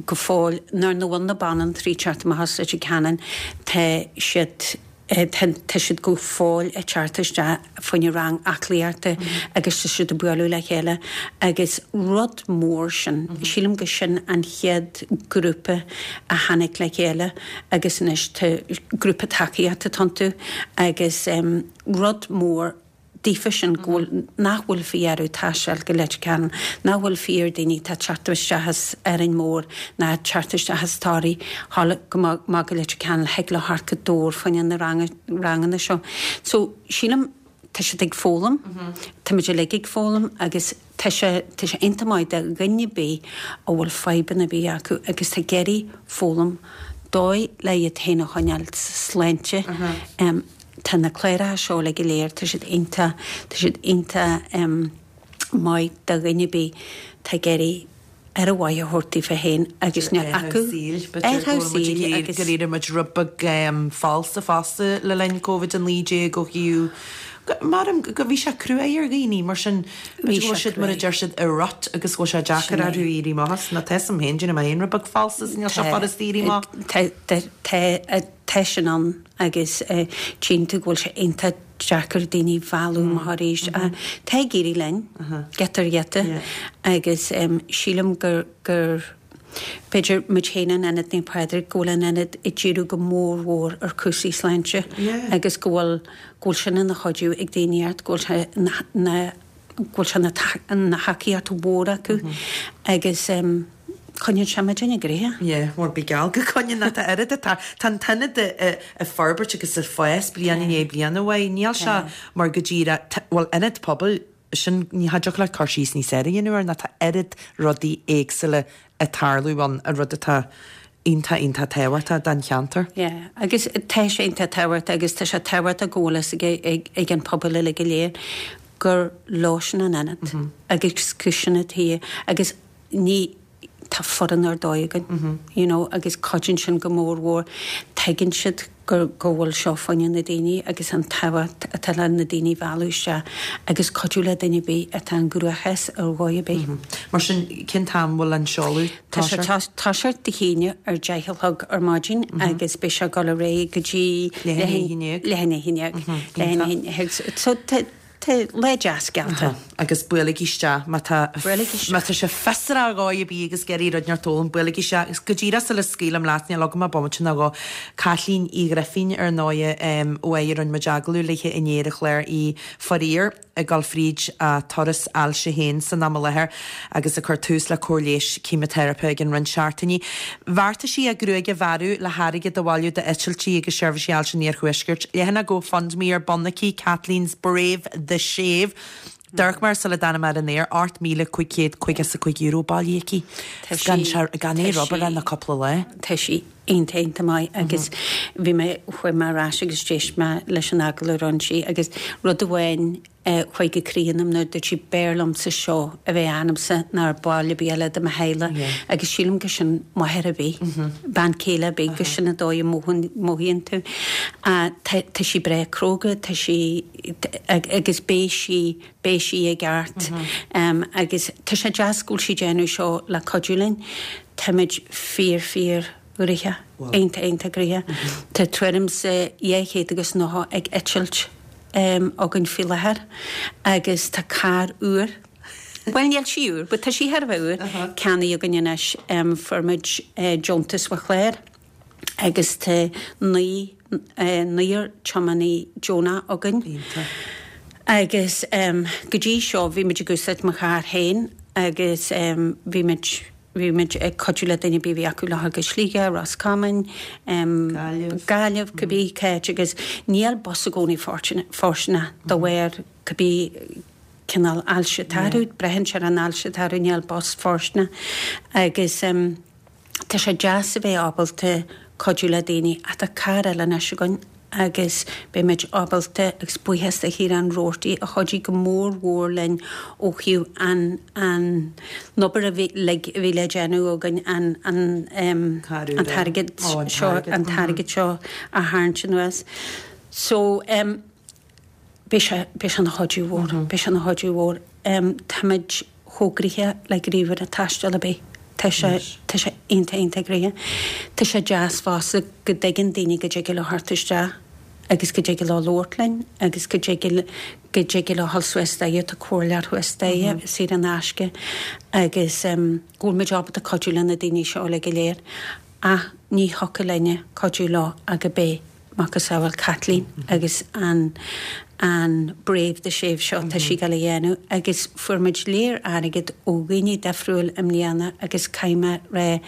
go fóill nuair nach bhfuil na banaltraí ag teacht amach as Leitir Ceanainn tá siad tá siad go fóill ag teacht isteach fá choinne rang aclaíochta agus tá siad ag bualadh le chéile agus rud mór sin, sílim go sin an chéad grúpa a tháinig le chéile agus anois tá grúpa tacaíochta iontu agus rud mór daofa sin go bhfuil, nach bhfuil faoi orthu taisteal go Leitir Ceanainn, nach bhfuil faoi ar daoine atá ag teacht isteach as Árainn Mhór ná ag teacht isteach as Toraigh dhul amach go Leitir Ceanainn, thig leo theacht go Dobhar fá choinne na ranganna seo. So sílim tá siad ag foghlaim, tá muid uilig ag foghlaim agus tá sé, tá sé iontach maith do dhuine ar bith a bhfuil fadhbanna ar bith acu agus tá ag iarraidh foghlaim dóigh le iad féin a choinneáil sláinte. Tá na cláracha seo uilig go léir, tá siad iontach, tá siad iontach maith do dhuine ar bith atá ag iarraidh aire mhaith a thabhairt daofa féin agus níl acu air go bhfuil muid ag iarraidh gur éirigh muid rud beag falsa fosta le linn Covid-19 ó thaobh maram go bhí sé cruaidh ar dhaoine mar sin b'fhéidir go bhfuil siad mar a deir siad i rut agus go bhfuil sé deacair orthu éirí amach as nó tá a fhios agam féin déanaim mé féin rud beag falsa is níl sé furast éirí amach. Tá tá tá sin ann agus tchíonn tú go bhfuil sé iontach deacair daoine a mhealladh amach arís. Tá ag éirí linn, giota ar ghiota, agus sílim gur, gur, b'fhéidir muid féin in Ionad Naomh Pádraig, go bhfuil an Ionad ag díriú go mór mhór ar chúrsaí sláinte agus go bhfuil, go bhfuil sin ina chuidiú ag daoine ort, go bhfuil sé ina, go bhfuil sé ina thacaíocht mhór acu agus. Coinníonn sé muidinne gnoitheach. Yeah, bhuel bí geall go gcoinníonn ach tá oiread atá, tá an t-ionad ag forbairt agus ag fás bliain i ndiaidh bliana uaidh. Níl sé mar go díreach, bhuel ionad pobail, sin, ní thiocfadh leat cur síos níos fearr a dhéanamh air ná tá oiread rudaí éagsúla ag tarlú ann, an rud atá iontach, iontach tábhachtach don cheantar. Yeah, agus tá sé iontach tábhachtach agus tá sé tábhachtach go bhfuil fhios ag, ag an pobal uilig go léir gur leosan an ionad agus gur sin atá agus ní, tá foireann ar dóigh againn, you know, agus cuidíonn sin go mór mhór. Tuigeann siad gur, go bhfuil seo fá choinne na daoine agus an tábhacht atá le na daoine a mhealladh isteach agus cuidiú le duine ar bith atá i gcruachás ar dhóigh ar bith. Mar sin, cén t-am a bhfuil an seoladh Tá sé toiseacht Dé hAoine ar 10 a chlog ar maidin agus beidh sé ag dul ar aghaidh go dtí leath i ndiaidh a haon déag. Leath i ndiaidh a haon déag. So tá Tá lá deas geallta. Agus buailigí isteach má tá má tá sibh fiosrach ar dhóigh ar bith agus ag iarraidh rud inteacht a fhoghlaim, buailigí isteach. Agus go díreach sula scaoilim leat, níl agam ach bomaite nó dhó, Caitlín Uí Ghrifín ar ndóighe, uaidh a rinne muid agallamh léithe inné ar an chlár, í faraor ag dul fríd a turas ailse féin san am i láthair agus ag cur tús le cóir leighis ceimiteiripe i gcionn roinnt seachtainí. Bheartaigh sí a gruaig a bhearradh le hairgead a bhailiú d'eitiltí agus seirbhísí ailse an Iarthuaiscirt. Leathanach GoFundMe ar bun aici, Kathleen's Brave the Shave. D'amharc mé air sula dtáinig mé ar an aer, €8,555 bailithe aici. Gan aon obair ach cúpla lá. Tá sí. iontach iontach maith agus bhí mé, chuaigh mé ar ais agus d'éist mé leis an agallamh a rinne sí agus rud amháin a chuaigh go croí ionam nuair a dúirt sí b'fhearr liomsa seo a bheith ionamsa ná ar ball ar bith eile de mo theaghlach agus sílim gur sin máthair ar bith, bean chéile ar bith, gur sin an dóigh a mothaíonn tú. Tá tá sí breá cróga, tá sí agus beidh sí beidh sí i gceart agus tá sé deas go bhfuil sí ag déanamh seo le cuidiú linn. Táimid fíor fíor ghnoitheach, iontach iontach gnoitheach. Tá tuairim 's 290 ag eitilt againn faoi láthair agus tá carr úr, bhuel níl sí úr but tá sí thar a bheith úr, ceannaithe againn anois. Fuair muid deontas ó chlár agus tá naonúr tiománaí deonach againn. Iontach. Agus go dtí seo bhí muid ag úsáid mo charr féin agus bhí muid, bhí muid ag cuidiú le duine ar bith a bhí acu le dhul go Sligeach, Ros Comáin, Gaillimh. Gaillimh, cibé cá háit agus níl bus i gcónaí fóirsteanach de bharr cibé cineál ailse atá orthu, braitheann sé ar an ailse atá orthu, níl bus fóirsteanach agus. Tá sé deas a bheith ábalta cuidiú le daoine ach tá carr eile anois againn agus beidh muid ábalta, agus buíochas do Chiarán Roarty a chuidigh go mór mhór linn ó thaobh an an obair a bhí uilig a bhí le déanamh againn an an an t-airgead seo an t-airgead seo a tharraingt anuas. So beidh sé beidh sé ina chuidiú mhór, beidh sé ina chuidiú mhór. Táimid chomh gnoitheach le gníomhaire taistil ar bith. Tá sé, tá sé iontach, iontach gnoitheach. Tá sé deas fosta go dtuigeann daoine go dtig leo theacht isteach agus go dtig leo labhairt linn agus go dtig, go dtig leo dhul suas staighre, tá comhairleoir thuas staighre, saor in aisce agus go bhfuil muid ábalta cuidiú le na daoine seo uilig go léir. Ach ní thiocfadh linne cuidiú leo ach go b'é macasamhail Caitlín agus an an Brave the Shave seo atá sí ag dul a dhéanamh agus fuair muid léar airgead ó dhaoine difriúil i mbliana agus caithfidh mé rá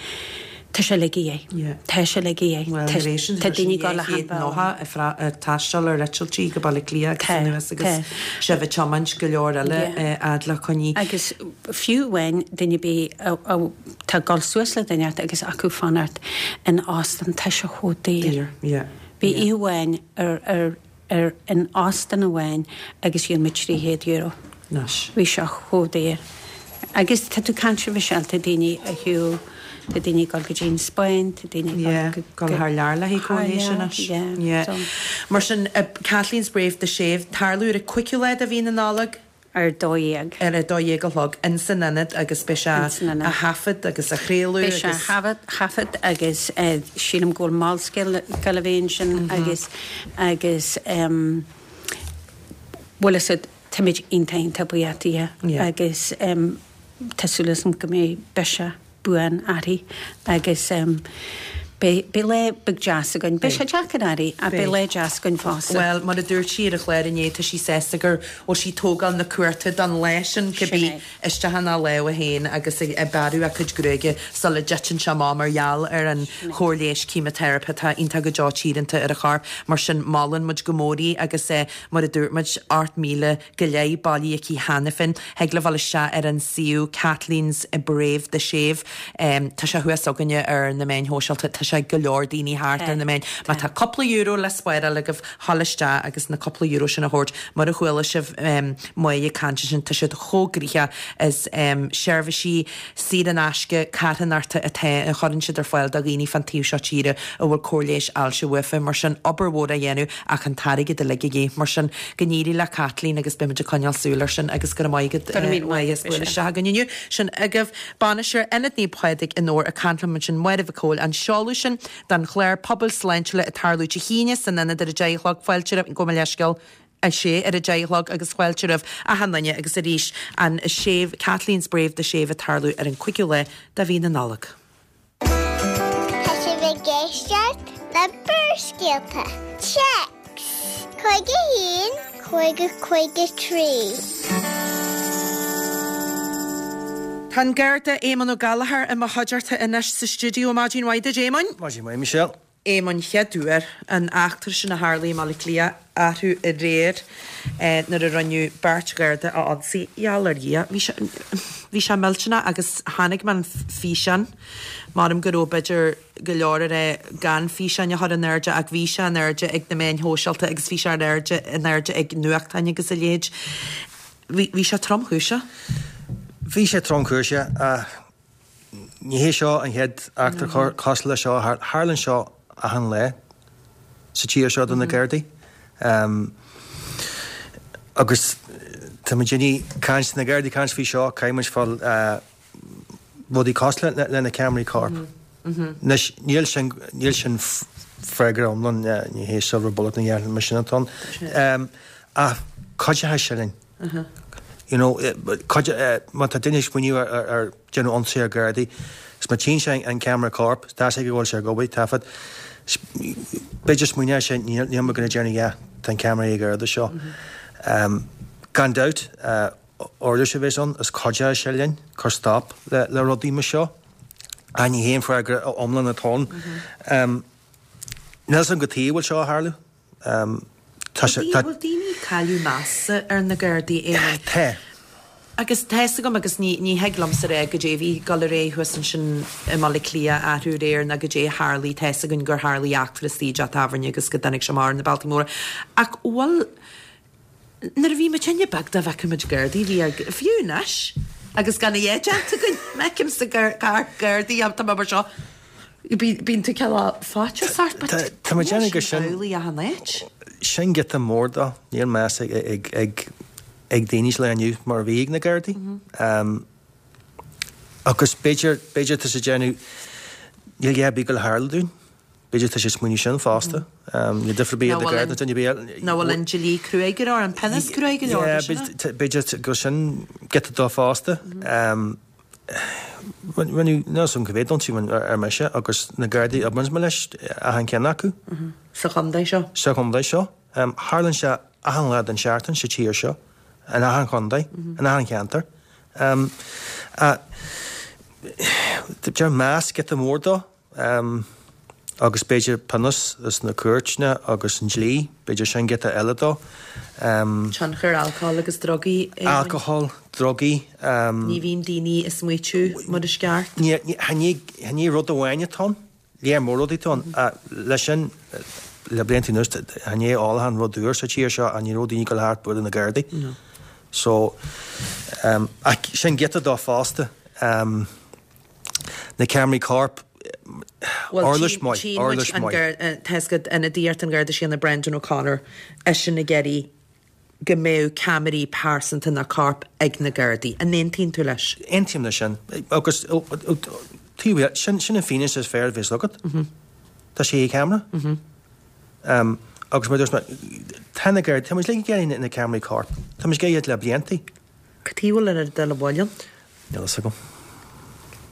tá sé uilig a dhíth. Tá sé uilig a dhíth. Bhuel, tar éis an Tá daoine ag dul achan 290 ag taisteal ar eitiltí go Baile Átha Cliath agus anuas agus sibh ag tiomáint go leor eile fhad le coinní. Agus fiú amháin duine ar bith atá ag dul suas le duine agus acu fanacht in óstán, tá sé chomh daor. Daor, yeah. Bhí oíche amháin ar, ar, ar, in óstán amháin agus dhíol muid €300. Anois. Bhí sé chomh daor. Agus tá tú ag caint a Mhichelle, tá daoine ar shiúl, tá daoine ag dul go dtí an Spáinn, tá daoine ag Yeah, dul go, dul thar lear le haghaidh thar cóir leighis lear, anois. yeah, Yeah. so. Mar sin, Kathleen's Brave the Shave, tarlú ar an 5ú lá de mhí na Nollag. Ar 12. Ar a 12 a chlog ins an ionad agus beidh sé Ins an ionad. á thaifead agus á chraoladh Beidh sé agus. á thaifead agus sílim go bhfuil Molscéal ag dul a bheith ansin agus agus bhuel is ea táimid iontach iontach buíoch di agus tá súil agam go mbeidh biseach buan uirthi agus beidh beidh lá beag deas againn. Beidh sé deacair uirthi ach beidh lá deas againn fosta. Bhuel, mar a dúirt sí ar an chlár inné, tá sí sásta go bhfuil sí ag tógáil na cumhachta don lá sin, cibé, isteach ina lámha féin agus ag bearradh a cuid gruaige sula dtiteann sé amach mar gheall ar an chóir leighis ceimiteiripe atá iontach go deo tíoránta ar a chorp. Mar sin, molann muid go mór í agus mar a dúirt muid, 8,000 go leith bailithe aici cheana féin. Thig libh dul isteach ar an suíomh Kathleen's Brave the Shave. Tá sé thuas againne ar na meáin shóisialta. Tá sé ag go leor daoine thart ar na meáin. Má tá cúpla euro le spáráil agaibh, ghabh isteach agus na cúpla euro sin a thabhairt. Mar a chuala sibh Máire ag caint ansin, tá siad chomh gnoitheach. Is seirbhísí saor in aisce carthanachta atá a chuireann siad ar fáil do dhaoine fán taobh seo tíre a bhfuil cóir leighis ailse uafa. Mar sin, obair mhór á dhéanamh ach an t-airgead uilig a dhíth. Mar sin, go n-éirí le Caitlín agus beimid ag coinneáil súil air sin agus go raibh maith agat Go raibh míle maith Máire as bualadh isteach againn inniu. Sin agaibh bainisteoir Ionad Naomh Pádraig i nDobhar ag caint liom ansin Máire Mhic Cóil an seoladh sin don chlár Pobail Sláintiúla ag tarlú Dé hAoine san ionad ar a 10 a chlog fáilte roimh gabh mo leithscéal 6 ar a 10 a chlog agus fáilte roimh achan duine agus arís an Shave Kathleen's Brave the Shave ag tarlú ar an 5ú lá de mhí na Nollag. Tá sibh ag éisteacht le Barrscéalta. Téacs 51 50 53. Tá an Garda Éamonn Ó Gallchóir i mo chuideachta anois sa stiúideo. Maidin mhaith duit, Éamoinn. Maidin mhaith, Michelle. Éamoinn chéad uair, an eachtra sin a tharlaigh i mBaile Átha Cliath arú aréir nuair a rinneadh beirt Gharda a ionsaí. Gheall ar Dhia, bhí sé, bhí sé millteanach agus chonaic mé an físeán, maram go raibh b'fhéidir go leor ag rá gan físeáin a chur in airde ach bhí sé in airde ag na meáin shóisialta agus bhí sé ar airde, in airde ag nuachtáin agus a leithéid. Bhí, bhí sé tromchúiseach. Bhí sé tromchúiseach ach Ní hé seo an chéad eachtra cosúil le seo. Tharlaíonn seo achan lá sa tír seo do na Gardaí. Agus tá muid ag caint, na Gardaí ag caint faoi seo, caithfidh muid fáil rudaí cosúil le na ceamaraí coirp. Anois, níl sin, níl sin freagra iomlán, ní hé silver bullet na dhéanfaidh mar sin atá ann. Ach cuideoidh sé linn. You know, cuid, má tá duine ag smaoineamh ar déanamh ionsaí ar Ghardaí, is má tchíonn sé an ceamara coirp, tá a fhios aige go bhfuil sé ag obair, taifead, b'fhéidir smaoineoidh sé, níl mé going to déanamh a dhath, tá an ceamara ag an Gharda seo. Gan dabht, uirlis a bheas ann, is cuideoidh sé linn cur stop le rudaí mar seo. Ach ní hé an freagra iomlán atá ann. Níl a fhios agam cad chuige a bhfuil seo ag tarlú. Tá sé, tá. Bhfuil daoine ag cailleadh measa ar na Gardaí, Éamonn? Tá. Agus tá fhios agam agus ní, ní thig liomsa a rá goidé a bhí ag dul ar aghaidh thuas ansin i mBaile Átha Cliath arú aréir ná goidé a tharlaigh, tá fhios againn gur tharlaigh eachtra istigh i dteach tábhairne agus go dtáinig sé amach ar na bealtaí móra. Ach bhfuil, Nuair a bhí muidinne beag dá bhfeicfeadh muid Gardaí, bhí ár, fiú anois, agus gan a dhath déanta againn, má fheicim sa gcarr Gardaí, tá mé mar seo, bíonn tú cineál faitíos ort, but Tá muid níl déanamh sin amhlaidh achan áit. Sin giota mór dó, níl meas ag, ag, ag, ag daoine sa lá inniu mar a bhí ag na Gardaí. Agus b'fhéidir, b'fhéidir tá siad ag déanamh, níl a dhath ar bith ag gabháil a tharlú dúinn. B'fhéidir tá siad ag smaoineamh sin fosta. Níl difear ar bith idir Garda nó duine ar bith eile. Nach bhfuil an dlí cruaidh go leor, an pionós cruaidh go leor, Yeah, b'fhéidir go sin giota dó fosta. Rinneadh, níl a fhios agam cá mhéad ionsaí ar mise agus na Gardaí a oibríonns mé leis, achan ceann acu. Sa chontae seo? Sa chontae seo. Tharlaíonn sé achan lá den seachtain sa tír seo, in achan chontae, in achan cheantar. Deir meas giota mór dó. Agus b'fhéidir pionós is na cúirteanna agus an dlí, b'fhéidir sin giota eile dó. Tionchar alcóil agus drugaí, Éamoinn. Alcohol, drugaí. Ní bhíonn daoine ag smaoitiú mar is ceart. Ní rud amháin atá ann, léar mór rudaí atá ann. Leis sin, le blianta anuas, chan é ólachán rud úr sa tír seo ach ní raibh daoine ag dul thart bualadh na Gardaí. So, ach sin giota dó fosta. Na ceamaraí coirp, uirlis mhaith, uirlis mhaith. Tá a fhios agat ionadaíocht an Gharda Síochána Brendan O'Connor, eisean ag iarraidh go mbeadh ceamaraí pearsanta nó coirp ag na Gardaí. An aontaíonn tú leis? Aontaím leis sin. Agus taobh eile, sin sin an fianaise is fearr a bheas agat. Tá sé ag ceamara. Agus mar a dúirt mé, tá na Gardaí, tá muid ag iarraidh na ceamaraí coirp. Tá muid ag iarraidh iad le blianta. Cad chuige a bhfuil an oiread dul i bhfeighil ann? Níl a fhios agam.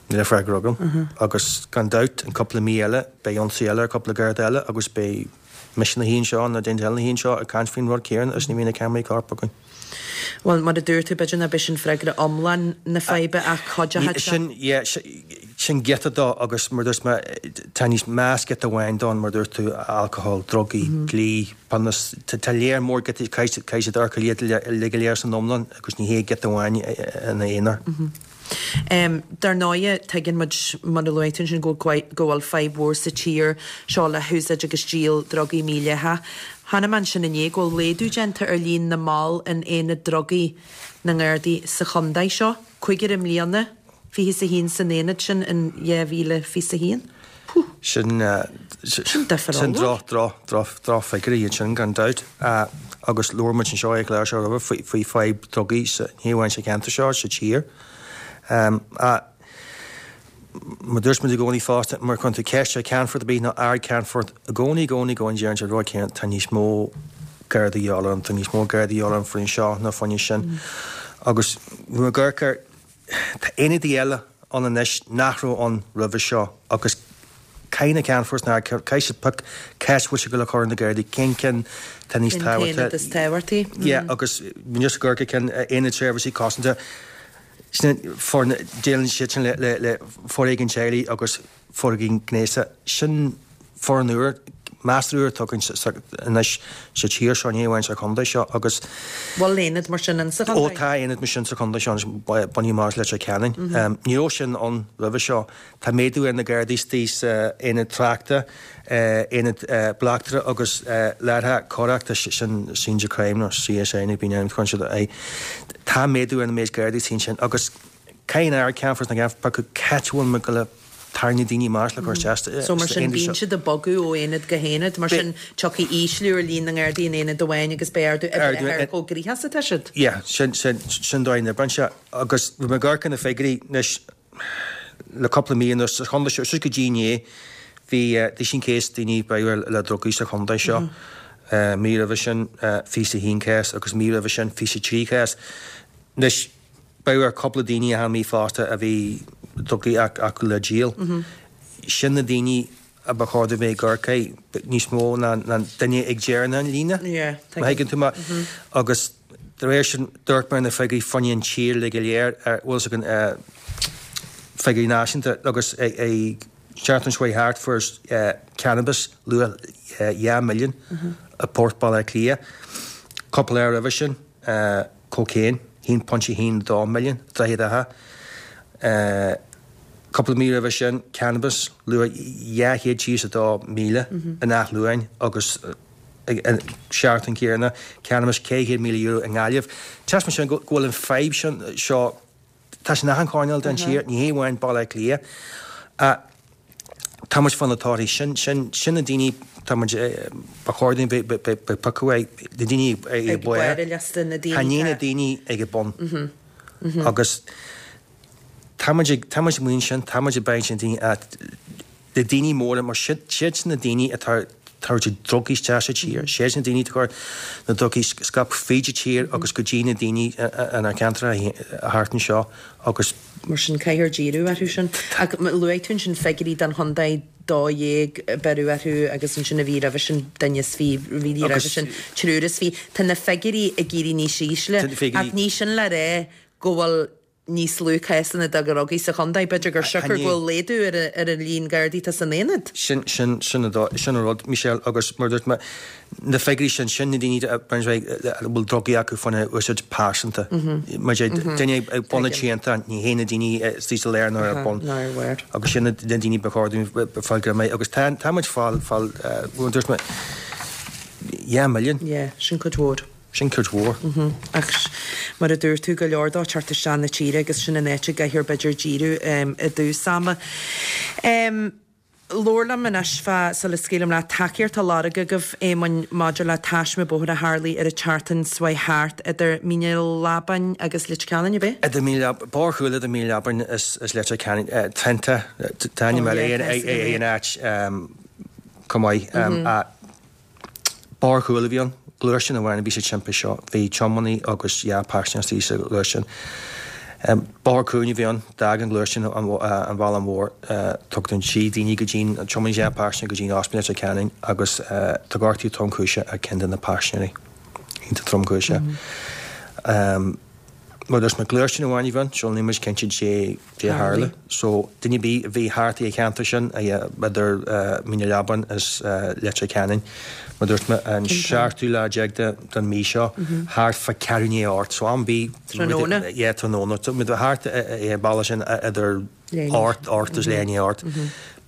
Níl a freagra agam. Agus gan dabht, in cúpla mí eile, beidh ionsaí eile ar cúpla Garda eile agus beidh mise ina shuí anseo nó duine eile ina shuí anseo ag caint faoin rud céanna is ní bhíonn na ceamaraí coirp againn. Bhuel, mar a dúirt tú, b'fhéidir nach b'é sin freagra iomlán na faidhbe ach cuideoidh sé. Sin, yeah, sin giota dó agus mar a dúirt mé, tá níos meas giota amháin dó mar a dúirt tú, alcohol, drugaí, dlí, Pionós, tá léar mór giotaí, caithfidh siad amharc ar iad uilig go léir san iomlán agus ní hé giota amháin ina aonar. Dar ndóighe, tuigeann muid, mar a luaigh tú ansin, go bhfuil fadhb mhór sa tír seo le húsáid agus díol drugaí mídhleathach. Chonaic mé ansin inné go bhfuil laghdú déanta ar líon na mball in aonad drugaí na nGardaí sa chontae seo, cúigear i mbliana, 21 san aonad sin in 2021. Puh! Sin Sin difear sin droch, droch, droch, drochfhigiúirí iad sin, gan dabht. Agus labhair muid anseo ar an chlár seo roimhe faoi, faoi fadhb drugaí sa, ní hamháin sa cheantar seo, sa tír. Mar dúirt muid i gcónaí fosta, má chuireann tú ceist ar cheannfort ar bith nó ard-cheannfort, i gcónaí, i gcónaí, i gcónaí deireann siad an rud céanna, tá níos mó Gardaí de dhíobháil orainn, tá níos mó Gardaí de dhíobháil orainn faoin seo ná faoin sin. Agus nuair a amharc air, Tá aonaidí eile ann anois nach raibh ann roimhe seo agus caithfidh na ceannfoirt na caithfidh siad pioc cá háit a bhfuil siad ag dul a chur na Gardaí, cén ceann tá níos Cén t-aonad is tábhachtaí. Yeah agus níos go ceann aonad seirbhísí cosanta sin foirne déileann siad sin le le le foréigean teaghlaigh agus foréigean gnéasach sin. Foireann úr, measartha úr atá againn anois sa tír seo, ní amháin sa chontae seo agus. Bhfuil aonad mar sin insa chontae? Ó tá aonad mar sin sa chontae seo anois, bunaithe amach as Leitir Ceanainn. Ní raibh sin ann roimhe seo. Tá méadú ar na Gardaí istigh sa aonad tráchta, aonad bleachtaire agus láithreacha coireachta, sin Scenes of Crime nó CSI nó bíonn ainm chun siad é. Tá méadú ar na méid Gardaí istigh ansin agus caithfidh an Aire Ceannfoirt na gCeann piocadh c'áit a bhfuil muid ag goil a tarraingt na daoine amach le cur isteach sa So mar sin aonad bíonn seo. siad ag bogadh ó aonad go haonad, mar sin tiocfaidh ísliú ar líon na nGardaí in aonad amháin agus beidh ardú ag Ardú brath ar ar. chomh gnoitheach is atá siad. Yeah, sin, sin, sin dóigh na oibre anseo. Agus bhí mé ag amharc ar na figiúirí anois le cúpla mí anuas sa chontae seo, suas go dtí inné bhí 21 case daoine breithe le drugaí sa chontae seo. Mí roimhe sin 21 cás agus mí roimhe sin 23 cás. Anois B'fhéidir ar cúpla daoine achan mí fosta a bhí drugaí acu le díol. Sin na daoine a ba chóir dóibh bheith ag amharc air níos mó ná duine ag deireadh na líne, má thuigeann tú mé. Agus de réir sin, d'amharc mé ar na figiúirí fá choinne an tír uilig go léir, bhfuil fhios againn, figiúirí náisiúnta agus ag seachtain seo chuaigh thart fuair cannabis luach 2 milliún i bPort Baile Átha Cliath. Cúpla lá roimhe sin, Cocaine, 1.12 milliún, Droichead Átha. Cúpla mí roimhe sin, cannabis, luach 232,000 in Áth Luain agus an seachtain chéanna, cannabis €400,000 i nGaillimh. Taispeánann sin go bhfuil an fadhb seo Tá sé in achan choirnéal den tír, ní hé amháin Baile Átha Cliath. Tá muid fá na torthaí. Sin, sin, sin na daoine, tá muid, ba chóir dúinn bheith, bheith, bheith piocadh ag, na daoine ag Ag barr. barr an liosta, na daoine Tá ní na atá. daoine ag an bun. Agus tá muid ag, tá muid amuigh ansin, tá muid ag baint sin daoine, na daoine móra, mar siad sin na daoine atá ag tabhairt drugaí isteach sa tír, siad sin na daoine atá ag cur na drugaí scaipthe fríd an tír agus go dtí na daoine inár gceantracha thart anseo agus. Mar sin caithfear díriú orthu sin. Ach luaigh tú ansin figiúirí don chontae, 12 a beireadh orthu agus ansin a mhí roimhe sin duine is fi, mhí roimhe sin triúr is fi. Tá na figiúirí ag éirí níos ísle ach ní sin le rá go bhfuil níos lú cásanna de dhrugaí sa chontae. B'fhéidir gur siocair go bhfuil laghdú ar an líon Gardaí atá san aonad. Sin, sin, sin an dóigh, sin an rud, Michelle, agus mar a dúirt mé, na figiúirí sin, sin na daoine a bhfuil drugaí acu faoina úsáid pearsanta. Mar a deir, duine ag bun na triantán, ní hé na daoine istigh sa lár ná ar bun. Agus sin na daoine ba chóir dúinn fáil greim air. Agus tá, tá muid fáil, fáil, mar a dúirt mé, 2 milliún. Yeah, sin cuid mhór. Sin cuid mhór. Ach mar a dúirt tú, go leor dó ag teacht isteach na tíre agus sin an áit a gcaithfear b'fhéidir díriú i dtús ama. Labhair liom anois fá, sula scaoilim leat, tacaíocht á lorg agaibh, Éamoinn, maidir le taisme bóthair a tharlaigh ar an tseachtain seo chuaigh thart idir Mín an Leabáin agus Leitir Ceanainn, ab é? Idir Mín Leab, Bóthar Chúil idir Mín Leabáin is Leitir Ceanainn, Trenta, tá ainm eile ar an áit chomh maith. Bóthar Chúil a bhí ann. Gluaisteán amháin a bhí sa timpiste seo. Bhí tiománaí agus 2 paisinéir istigh sa ghluaisteán. Bóthar cúng a bhí ann. D'fhág an gluaisteán an bhealach mhór. Tugadh 3 daoine go dtí an tiománaí 2 paisinéir go dtí an ospidéal Leitir Ceanainn agus tá gortú tromchúiseach ar ceann de na paisinéirí. Iontach tromchúiseach. Mar a dúirt mé, gluaisteán amháin a bhí ann, so níl muid cinnte dé dé tharla. So duine ar bith a bhí thart ag an cheantar sin, idir Mín an Leabáin is Leitir Ceanainn, mar a dúirt mé, an seachtú lá déag den mí seo, thart fá ceathrú i ndiaidh a hocht, so am ar bith. Tráthnóna? Yeah, tráthnóna. So muid thart ag an bealach sin idir ocht, ocht is leath i ndiaidh a hocht.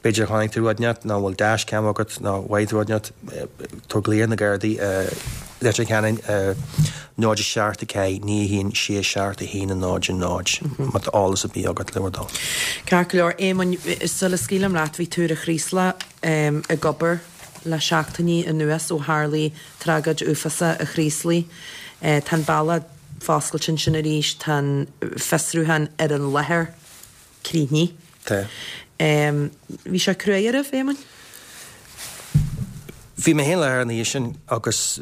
B'fhéidir chonaic tú rud inteacht, nó bhfuil dash cam agat, nó bhfaigh tú rud inteacht, tabhair glao ar na Gardaí i Leitir Ceanainn ar 0 7 4 9 1 6 7 1 0 0 má tá eolas ar bith agat le bhur dtoil. Ceart go leor, Éamoinn, sula scaoilim leat, bhí tú ar an Chraoslach ag obair le seachtainí anuas ó tharlaigh tragóid uafásach an Chraoslaigh. Tá an bealach foscailte ansin arís, tá an fiosrúchán ar an láthair críochnaithe. Tá. Bhí sé cruaidh oraibh, Éamoinn? Bhí mé féin i láthair an oíche sin agus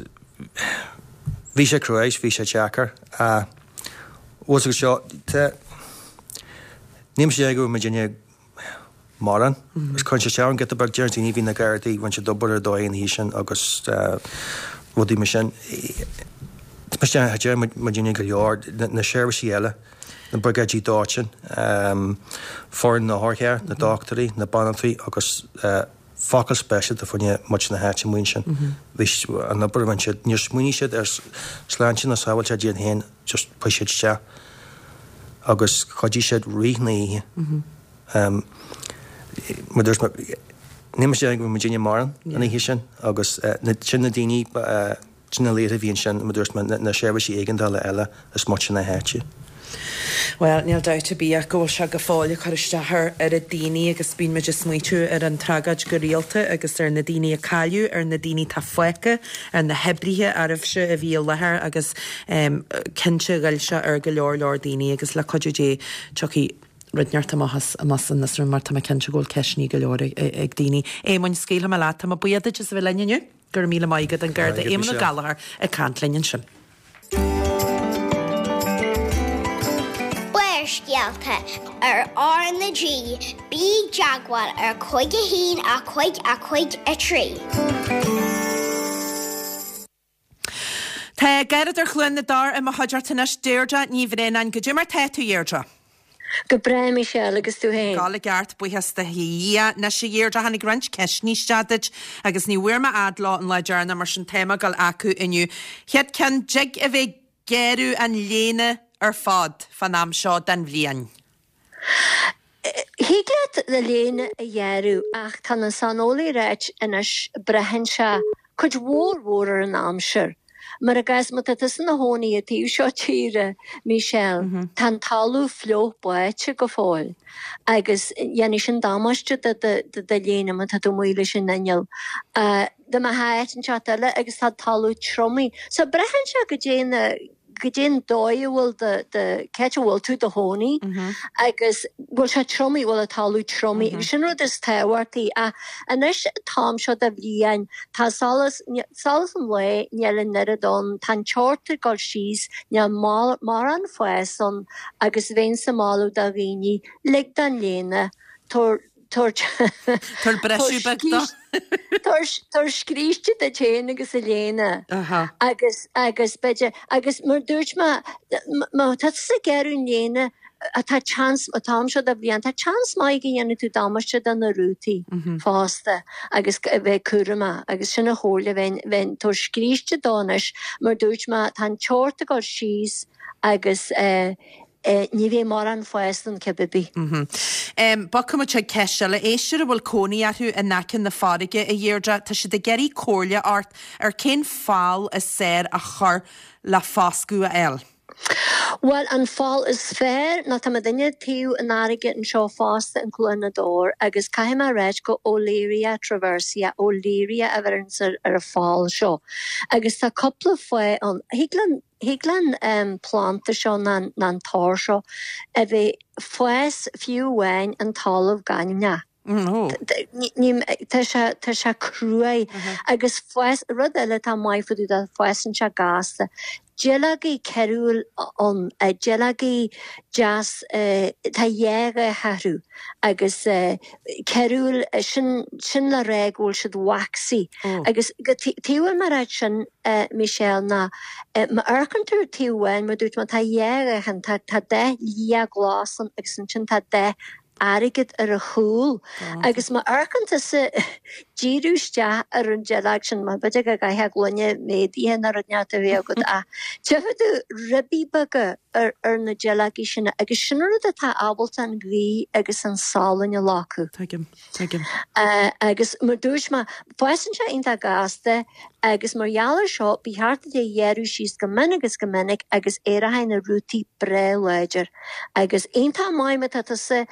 bhí sé cruaidh, bhí sé deacair. Bhfuil fhios agat seo, tá, níl mise ag go bhfuil muidinne mórán. Agus cuireann sé isteach orm giota beag, deir daoine, bhí na Gardaí, rinne siad obair ar dóigh an oíche sin agus rudaí mar sin. Tá mise, deir muidinne go leor, na seirbhísí eile. na briogáidí dóiteáin, foireann na hotharchairr, na dochtúirí, na banaltraí agus. Focal speisialta fá choinne muintir na háite amuigh ansin. Bhí an obair a rinne siad, níor smaoinigh siad ar sláinte ná sábháilteacht iad féin, just chuaigh siad isteach agus chuidigh siad rith na hoíche. Mar dúirt mé, níl mé cinnte go raibh muidinne maireann an oíche sin agus sin na daoine, Sin na laochra a bhí ansin, mar dúirt mé, na seirbhísí éigeandála eile is muintir na háite. Bhuel, níl dabht ar bith ach go bhfuil sé go fóill ag cur isteach ar oiread daoine agus bíonn muid ag smaoitiú ar an tragóid go rialta agus ar na daoine a cailleadh, ar na daoine atá fágtha, ar na hoibrithe arbh a bhí i láthair agus cinnte ghoill sé ar go leor leor daoine agus le cuidiú Dé tiocfaidh rud inteacht amach as an fhiosrú mar tá mé cinnte go bhfuil ceisteanna go leor ag daoine. Éamoinn, scaoilfidh mé leat, tá mé buíoch duit as a bheith linn inniu. Go raibh míle maith agat, an Garda Éamonn Ó Gallchóir ag caint linn ansin. Barrscéalta ar R na G, bí i dteagmháil ar 5 1 5 5 3. Tá Garradóir Chluain na dTor i mo chuideachta anois, Deirdre Ní Bhraonáin. Goidé mar tá tú, a Dheirdre? Go breá, Michelle, agus tú féin? Ag gabháil i gceart, buíochas do Dhia. Anois, a Dheirdre, tháinig roinnt ceisteanna isteach duit agus ní bhfuair mé fhad leo an lá deireanach, mar sin tá mé ag gabháil acu inniu. Chéad ceann, dtig a bheith ag gearradh an léine ar fad fán am seo den bhliain? Thig leat do léine a ghearradh ach tá na saineolaithe ag ráit anois braitheann sé cuid mhór mhór ar an aimsir. Mar i gcás má tá tusa ina chónaí an taobh seo tíre, Michelle, tá an talamh fliuch báite go fóill agus dhéanfaidh sin damáiste do do léine má tá tú amuigh leis an inneall. Dá mbeifeá áit inteacht eile agus tá talamh triomaithe. So braitheann sé goidé na goidé an dóigh a bhfuil do, do, cá háit a bhfuil tú i do chónaí agus bhfuil sé triomaithe, bhfuil an talamh triomaithe agus sin rud is tábhachtaí. Ach anois an t-am seo de bhliain tá solas, solas an lae níl an oiread ann, tá an teocht ag dul síos, níl mórán fás ann agus bheinnse ag moladh do dhaoine, lig don léine, tabhair, Tabhair briseadh beag dó. Tabhair scríste duit féin agus do léine agus agus b'fhéidir agus mar dúirt mé má tá tusa ag gearradh an léine tá seans an t-am seo de bhliain tá seans maith go ndéanfaidh tú damáiste do na rútaí fosta agus a bheith cúramach agus sin an chomhairle bheinn bheinn tabhair scríste dó anois mar dúirt mé tá an teocht ag dul síos agus Ní bheidh mórán fás ann cibé ar bith. Bogfaidh muid chuig ceist eile. Éisteoir a bhfuil cónaí orthu in aice na farraige, a Dheirdre, tá siad ag iarraidh comhairle ort ar cén fál is fearr a chur le foscadh a fháil. Bhuel, an fál is fearr ná tá muidinne taobh an fharraige anseo fosta in Cluain na dTor agus caithfidh mé a ráit go Olearia traversii, Olearia a bheireanns ar an fál seo agus tá cúpla fáth ann. Thig linn Thig leis an planda seo ná an tor seo a bheith fás fiú amháin an talamh gainmheach. Tá sé tá sé cruaidh agus fás rud eile atá maith fá dtaobh de fásann sé gasta. Duilleogaí cearúil ann, duilleogaí deas tá dhá dhath orthu agus cearúil sin sin le rá go bhfuil siad waxy agus go taobh amháin mar sin Michelle, ná má amharcann tú ar taobh amháin, mar dúirt mé, tá dhá dhath ann, tá tá dath liath glas ann agus ansin tá dath airgead ar a chúl. Agus má amharcann tusa díriú isteach ar an duilleog sin, mar b'fhéidir go gcaithfeá gloine méadaithe nó rud inteacht a bheith agat ach tchífidh tú ribí beaga ar ar na duilleogaí sin agus sin rud atá ábalta an ghaoth agus an salann a locadh. Tuigim. Tuigim. Agus mar dúirt mé, fásann sé iontach gasta agus mar gheall ar seo, ba cheart duit é a ghearradh síos go mion agus go minic agus éireoidh na rútaí breá láidir. Agus iontach maith má tá tusa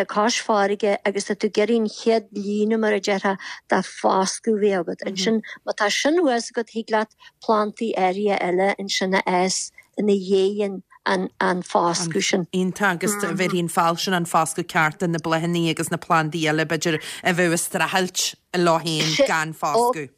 cois farraige agus tá tú ag iarraidh an chéad líne mar a déarfá de foscadh a bheith agat. Ansin má tá sin thuas agat thig leat plantaí áirithe eile ansin a fhás ina dhiaidh an an foscadh sin. Iontach, agus bhéarfaidh an fál sin an foscadh ceart do na bláthanna agus na plandaí eile, b'fhéidir, a bheadh ag streachailt leo féin gan foscadh.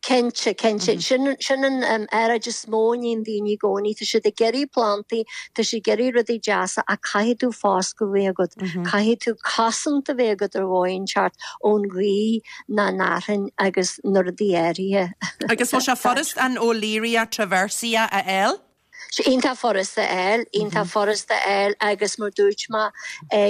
Cinnte, cinnte. Sin, sin an earráid is mó a níonn daoine i gcónaí. Tá siad ag iarraidh plantaí, tá siad ag iarraidh rudaí deasa ach caithfidh tú foscadh a bheith agat. Caithfidh tú cosaint a bheith agat ar dhóigh inteacht ón ghaoth ná an fhearthainn agus na rudaí áirithe. Agus bhfuil sé furast an Olearia traversii a fháil? Iontach furasta a fháil, iontach furasta a fháil agus mar dúirt mé,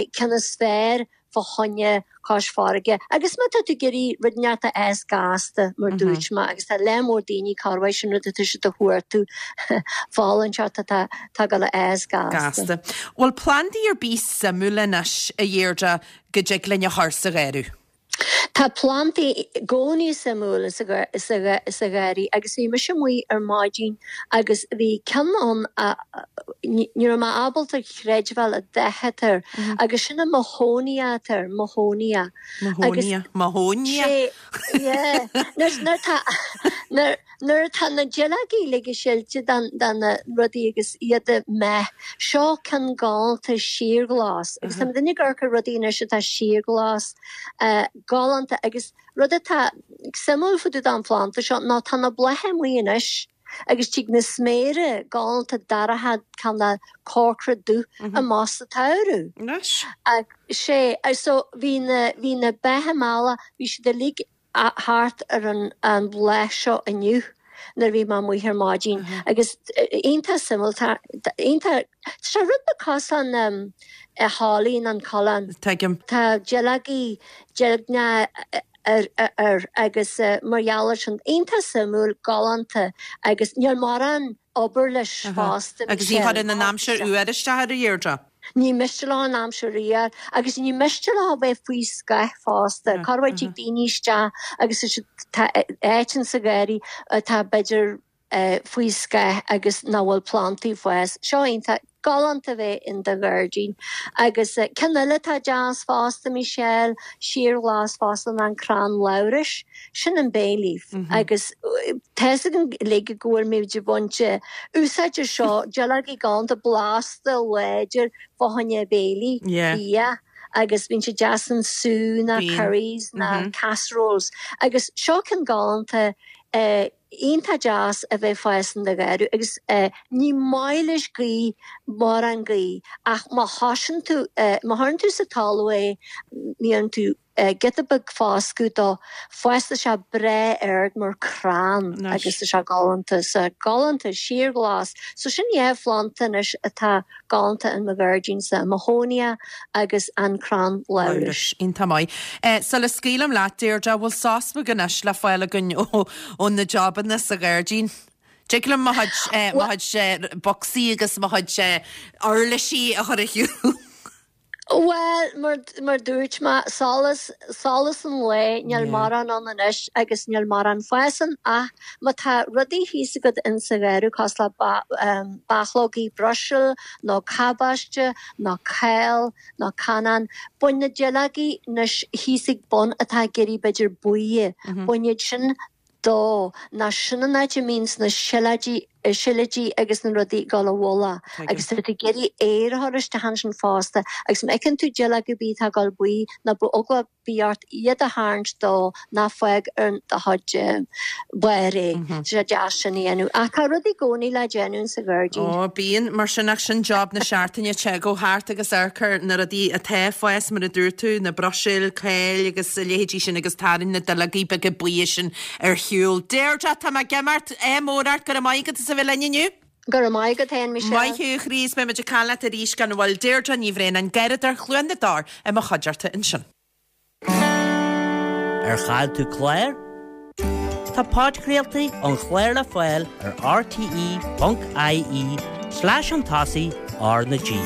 ceann is fearr. fá choinne cois farraige. Agus má tá tú ag iarraidh rud inteacht a fhás gasta, mar dúirt mé, agus tá lear mór daoine corruair sin rud atá siad a chuartú, fál inteacht atá tá ag dul a fhás gasta. Gasta. Bhfuil plandaí ar bith suimiúil anois, a Dheirdre, go dtig linn a chur sa gharradh? Tá plandaí i gcónaí suimiúil sa gharraí agus bhí mise amuigh ar maidin agus bhí ceann ann a ní raibh mé ábalta chreidbheáil an dath atá air agus sin an mahonia atá air, mahonia. Mahonia, mahonia. Sé, yeah. Nuair nuair tá nuair Nuair atá na duilleogaí uilig silte de na rudaí agus iad méith, seo ceann galánta síorghlas agus tá muidinne ag amharc ar rudaí anois atá síorghlas, galánta agus rud atá suimiúil fá dtaobh den phlanda seo ná tá na blátha amuigh anois agus tig na sméara galánta dorcha cineál corcra dubh amach sa tsamhradh. Anois. Sé, so bhí na, bhí na beithe meala, bhí siad uilig thart ar an bhláth seo inniu nuair a bhí mé amuigh ar maidin agus iontach suimiúil, tá iontach, tá sé rud beag cosúil an holly an coileán. Tuigim. Tá duilleogaí deilgneacha air agus mar gheall air sin, iontach suimiúil, galánta agus níl mórán obair leis fosta. Agus ní chuireann an aimsir fhuar isteach air a Dheirdre? Ní miste leo an aimsir fhuar agus ní miste leo a bheith faoi scáth fosta. Corruair tig daoine isteach agus tá áit in sa gharraí atá b'fhéidir faoi scáth agus nach bhfuil plandaí ag fás. Seo iontach galánta a bheith in do ghairdín. Agus ceann eile atá deas fosta, Michelle, síorghlas fosta ná an crann labhrais. Sin an bay leaf. Agus tá's againn uilig go bhfuil muid ag baint úsáid as seo, duilleogaí galánta blasta láidir fá choinne béilí, bia, agus bíonn sé deas in sú ná curries ná casseroles. Agus seo ceann galánta iontach deas a bheith ag fás in do gharradh agus ní maith leis gaoth, mórán gaoth, ach má thosaíonn tú, má chuireann tú sa talamh é, ní dhéanann tú giota beag foscadh dó, fásann sé breá ard mar crann agus tá sé galánta, so galánta, síorghlas. So sin dhá phlanda anois atá galánta in mo ghairdínsa, an mahonia agus an crann labhrais. Labhrais. Iontach maith. Sula scaoilim leat, Deirdre, bhfuil sos beag anois le fáil againn ó na jabanna sa ghairdín? Tig liom mo chuid, mo chuid bocsaí agus mo chuid uirlisí a chur ar shiúl. Bhuel, mar dúirt mé, solas, solas an lae, níl mórán ann anois agus níl mórán fás ann ach má tá rudaí thíos agat in sa gharradh cosúil le bachlógaí Bruiséil nó cabáiste nó cál nó canán, bain na duilleogaí anois thíos ag bun atá ag éirí b'fhéidir buí, bain iad sin dó, ná sin an áit a mbíonns na sileoidí, silidí agus na rudaí ag dul i bhfolach agus tá tú ag iarraidh aer a chur isteach ansin fosta agus má fheiceann tú duilleog ar bith atá ag dul buí ná bíodh eagla ar bith ort iad a tharraingt dó ná fág ar do chuid barr é. Tá sé deas sin a dhéanamh. Ach tá rudaí i gcónaí le déanamh insa ghairdín. Ó, bíonn, mar sin ach sin job na seachtaine, téigh thart agus amharc ar na rudaí atá ag fás, mar a dúirt tú, na Bruiséil, cáil agus a leithéidí sin agus tarraing na duilleogaí beaga buí sin ar shiúl. Deirdre, tá mé ag imeacht, ádh mór ort, go raibh maith agat as a bheith linn inniu. Go raibh maith agat féin, Michelle. Maith thú, a chroí, is beidh muid ag caint leat arís gan mhoill. Deirdre Ní Bhraonáin, Garradóir Chluain na dTor i mo chuideachta ansin. Ar chaill tú clár? Tá podchraoltaí an chláir le fáil ar rte.ie slash chun tosaigh R na G.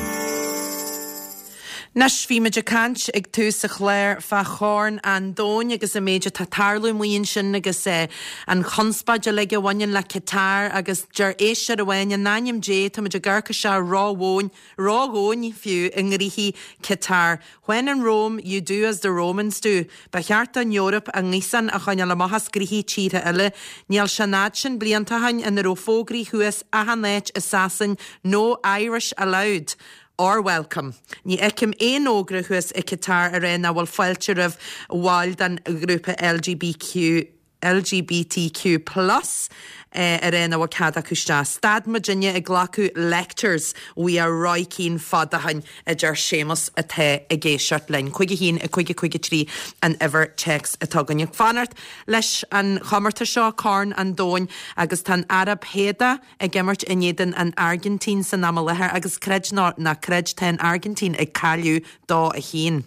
Anois, bhí muid ag caint ag tús an chláir fá Chorn an Domhain agus an méid atá ag tarlú amuigh ansin agus an chonspóid uilig a bhaineann le Qatar agus deir éisteoir amháin, in ainm Dé, tá muid ag amharc isteach ró-dhomhain, ródhomhain fiú, i ngnóthaí Qatar. When in Rome, you do as the Romans do. Ba cheart don Eoraip a ngaothán a choinneáil amach as gnoithí tíortha eile. Níl sé an fhad sin blianta ó shin ina raibh fógraí thuas achan áit i Sasain 'No Irish allowed' or welcome. Ní fheicim aon fhógra thuas i Qatar a rá nach bhfuil fáilte roimh bhaill den ghrúpa LGBQ. LGBTQ plus a rá nach bhfuil cead acu isteach. Stad muidinne ag glacadh lectures uaidh Roy Keane fada ó shin, a deir Séamus atá ag éisteacht linn. 5 1 5 5 3 an uimhir téacs atá againn. Ag fanacht leis an chomórtas seo, Corn an Domhain, agus tá an Araib Shéadach ag imirt in éadan an Airgintín san am i láthair agus creid nó ná creid tá an Airgintín ag cailleadh 2 1.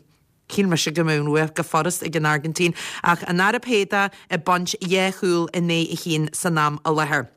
Shíl mise go mbeadh an bhua go furast ag an Airgintín ach an Araib Shéadach ag baint dhá chúl in aghaidh a haon san am i láthair.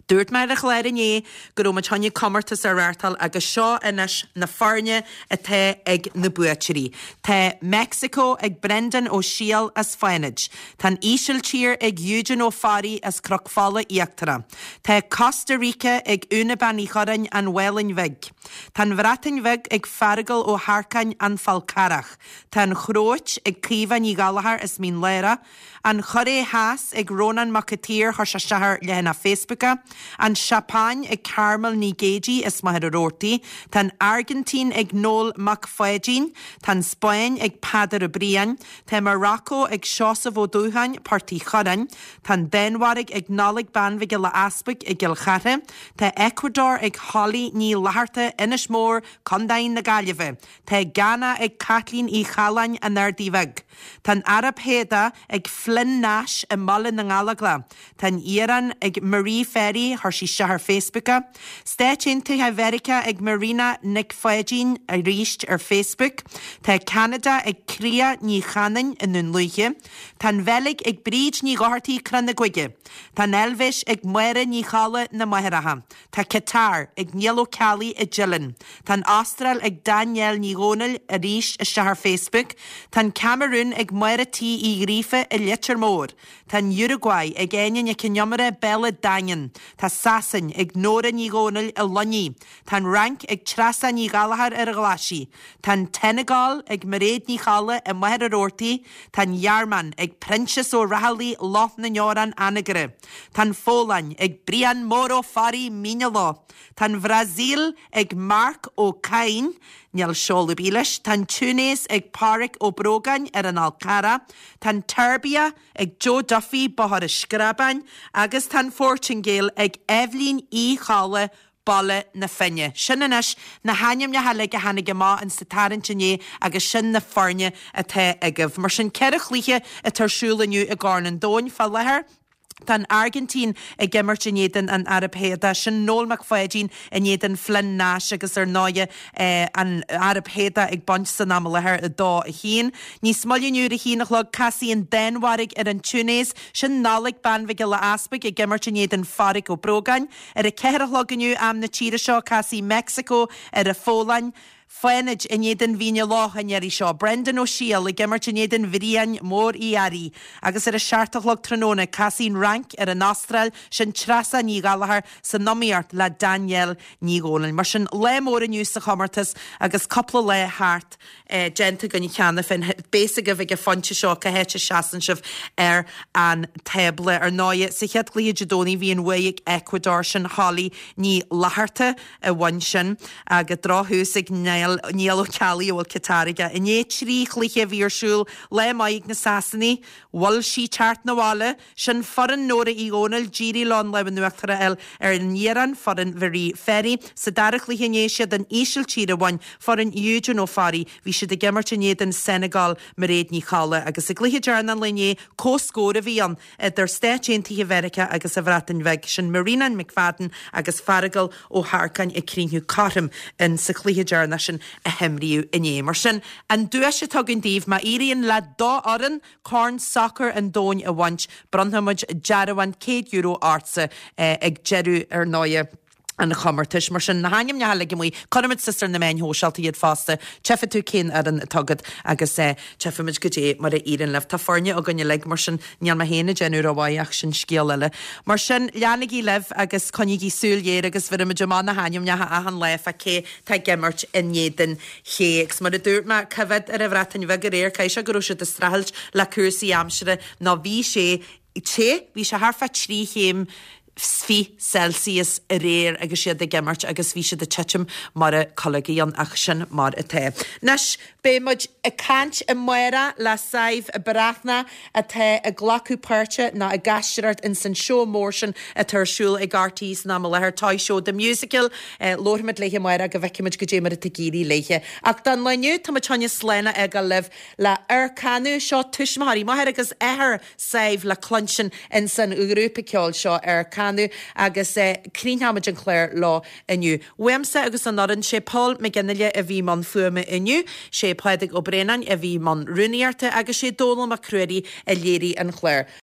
Dúirt mé ar an chlár inné go raibh muid choinne comórtas a reáchtáil agus seo anois na foirne atá ag na buaiteoirí. Tá Mexico ag Brendan Ó Siadhail as Fánaid. Tá an Ísiltír ag Eugene Ó Fearraigh as Cnoc Fola Íochtarach. Tá Costa Rica ag Úna Bean Uí Churráin, An Mhálainn Bhig. Tá an Bhreatain Bheag ag Feargal Ó hEarcáin, An Fál Carrach. Tá an Chróit ag Caoimhe Ní Ghallchóir as Mín Lárach. An Chóiré Theas ag Rónán Mac an tSaoir, chuir sé isteach ar leathanach Facebook é. An Seapáin ag Carmel Ní Géidigh as Machaire Rabhartaigh. Tá an Airgintín ag Noel Mac Pháidín. Tá an Spáinn ag Peadar Ó Briain. Tá Morocco ag Seosamh Ó Dúcháin, Port Uí Churráin. Tá an Danmhairg ag Nollaig Bean Mhic Giolla Easpaig i gCill Chartha. Tá Ecuador ag Holly Ní Fhlatharta, Inis Mór, Contae na Gaillimhe. Tá Ghana ag Caitlín Uí Challáin, An Ardaidh Bheag. Tá an Araib Shéadach ag Flynn Nash i mBaile na nGallóglach. Tá an Iaráin ag Marie Ferry, chuir sí isteach ar Facebook é. Stáit Aontaithe Mheiriceá ag Marina Nic Pháidín, arís ar Facebook. Tá Ceanada ag Cría Ní Chanainn i nDún Lúiche. Tá an Bheilg ag Bríd Ní Dhochartaigh, Crann na Gaoithe. Tá an Eilvéis ag Máire Ní Cholla, Na Machaireacha. Tá Qatar ag Niall Ó Ceallaigh i dTeileann. Tá an Astráil ag Danielle Ní Dhomhnaill, arís isteach ar Facebook. Tá an Camarún ag Máire T Uí Ghríofa i Leitir Móir. Tá an Uruguay ag Áine Nic an Iomaire, Béal an Daingin. Tá Sasain ag Nóra Ní Dhomhnaill i Luinnigh. Tá an Fhrainc ag Treasa Ní Ghallchóir ar an Ghlaisigh. Tá an tSeineagáil ag Mairéad Ní Cholla i Machaire Rabhartaigh. Tá an Ghearmáin ag Proinsias Ó Raghallaigh, Loch na nDeorán, Anagaire. Tá an Pholainn ag Brian Mór Ó Fearraigh, Mín a' Loch. Tá an Bhrasaíl ag Marc Ó Cadhain, níl seoladh ar bith leis. Tá an Túinéis ag Páraic Ó Brógáin ar an Fhál Carrach. Tá an tSeirbia ag Joe Duffy, Bóthar an Screabáin, agus tá an Phortaingéil ag Eibhlín Uí Cholla, Baile na Finne. Sin anois na hainmneacha uilig a tháinig amach in sa tarraingt inné agus sin na foirne atá agaibh. Mar sin, 4 chluiche atá ar siúl inniu i gCorn an Domhain fá láthair. Tá an Airgintín ag imirt in éadan an Araib Shéadach. Sin Noel Mac Pháidín in éadan Flynn Nash agus ar ndóighe an Araib Shéadach ag baint san am i láthair 2, 1. Níos moille inniu ar a haon a chlog casfaidh an Danmhairg ar an Túinéis. Sin Nollaig Bean Mhic Giolla Easpaig ag imirt in éadan Pháraic Ó Brógáin. Ar a 4 a chlog inniu, am na tíre seo, casfaidh Meicsiceo ar an Pholainn. Fánaid in éadan Mhín a' Loch an iarraidh seo. Brendan Ó Siadhail ag imirt in éadan Bhriain Mór Uí Fhearraigh. Agus ar a 7 a chlog tráthnóna, casfaidh an Fhrainc ar an Astráil, sin Treasa Ní Ghallchóir san iomaíocht le Danielle Ní Dhomhnaill. Mar sin, lá mór inniu sa chomórtas agus cúpla lá thart. déanta againn cheana féin. Beidh a fhios agaibh ag an phointe seo cá háit a seasann sibh ar an tábla. Ar ndóighe, sa chéad chluiche Dé Domhnaigh bhí an bhuaidh ag Ecuador, sin Holly Ní Fhlatharta a bhain sin agus drochthús ag Niall Ó Ceallaigh a bhfuil Qatar aige. Inné 3 chluiche a bhí ar siúl, lá maith ag na Sasanaigh, mhol sí teacht 'na bhaile. Sin foireann Nóra Uí Dhomhnaill, d'éirigh leo an lámh in uachtar a fháil ar an Iaráin, foireann Mharie Ferry. Sa dara chluiche inné, siad an Ísiltír a bhain, foireann Eugene Ó Fearraigh. Bhí siad ag imirt in éadan Senegal, Mairéad Ní Cholla. Agus i gcluiche deireanach an lae inné, comhscór a bhí ann idir Stáit Aontaithe Mheiriceá agus an Bhreatain Bheag. Sin Marina McFadden agus Feargal Ó hEarcáin ag críochnú cothrom in sa chluiche deireanach sin a himríodh inné. Mar sin, an duais atá againn daoibh, má éiríonn le do fhoireann, Corn Sacair an Domhain a bhaint, bronnfaidh muid dearbhán €100 ortsa ag deireadh, ar ndóighe, an chomórtais. Mar sin, na hainmneacha uilig amuigh, cuirfimid suas ar na meáin shóisialta iad fosta, tchífidh tú cén fhoireann atá agat agus tchífimid goidé mar a éiríonn libh. Tá foirne againn uilig, mar sin níl mé féin ag déanamh rómhaith ach sin scéal eile. Mar sin, leanaigí libh agus coinnígí súil ghéar agus bheirfimid amach na hainmneacha achan lá fá cé tá ag imirt in éadan ché. Agus mar a dúirt mé, cá bhfios ar an Bhreatain Bheag aréir, caithfidh sé go raibh siad ag streachailt le cúrsaí aimsire nó bhí sé te, bhí sé thart fá 3 chéim 's Celsius aréir agus iad ag imirt agus bhí siad ag titim mar a clogaí ann ach sin mar atá. Anois, beidh muid ag caint amárach le Sadhbh Breathnach atá ag glacadh páirte nó ag aisteoireacht ins an seó mór sin atá ar siúl ag RTÉ san am i láthair, Toy Show The Musical. Labharfaimid léithe amárach go bhfeicfimid goidé mar atá ag éirí léithe. Ach don lá inniu, tá muid chun slán a fhágáil libh le Aircanú. Seo tuismitheoirí, máthair agus athair Sadhbh le cluinstin ins an ghrúpa ceoil seo Aircanú. canadh agus críochnóimid an clár leo inniu. Uaimse agus an fhoireann, sé Paul McGinley a bhí i mbun fuaime inniu, sé Pádraig Ó Braonáin a bhí i mbun rúnaíochta agus sé Dónall Mac Ruairí a léirigh an clár.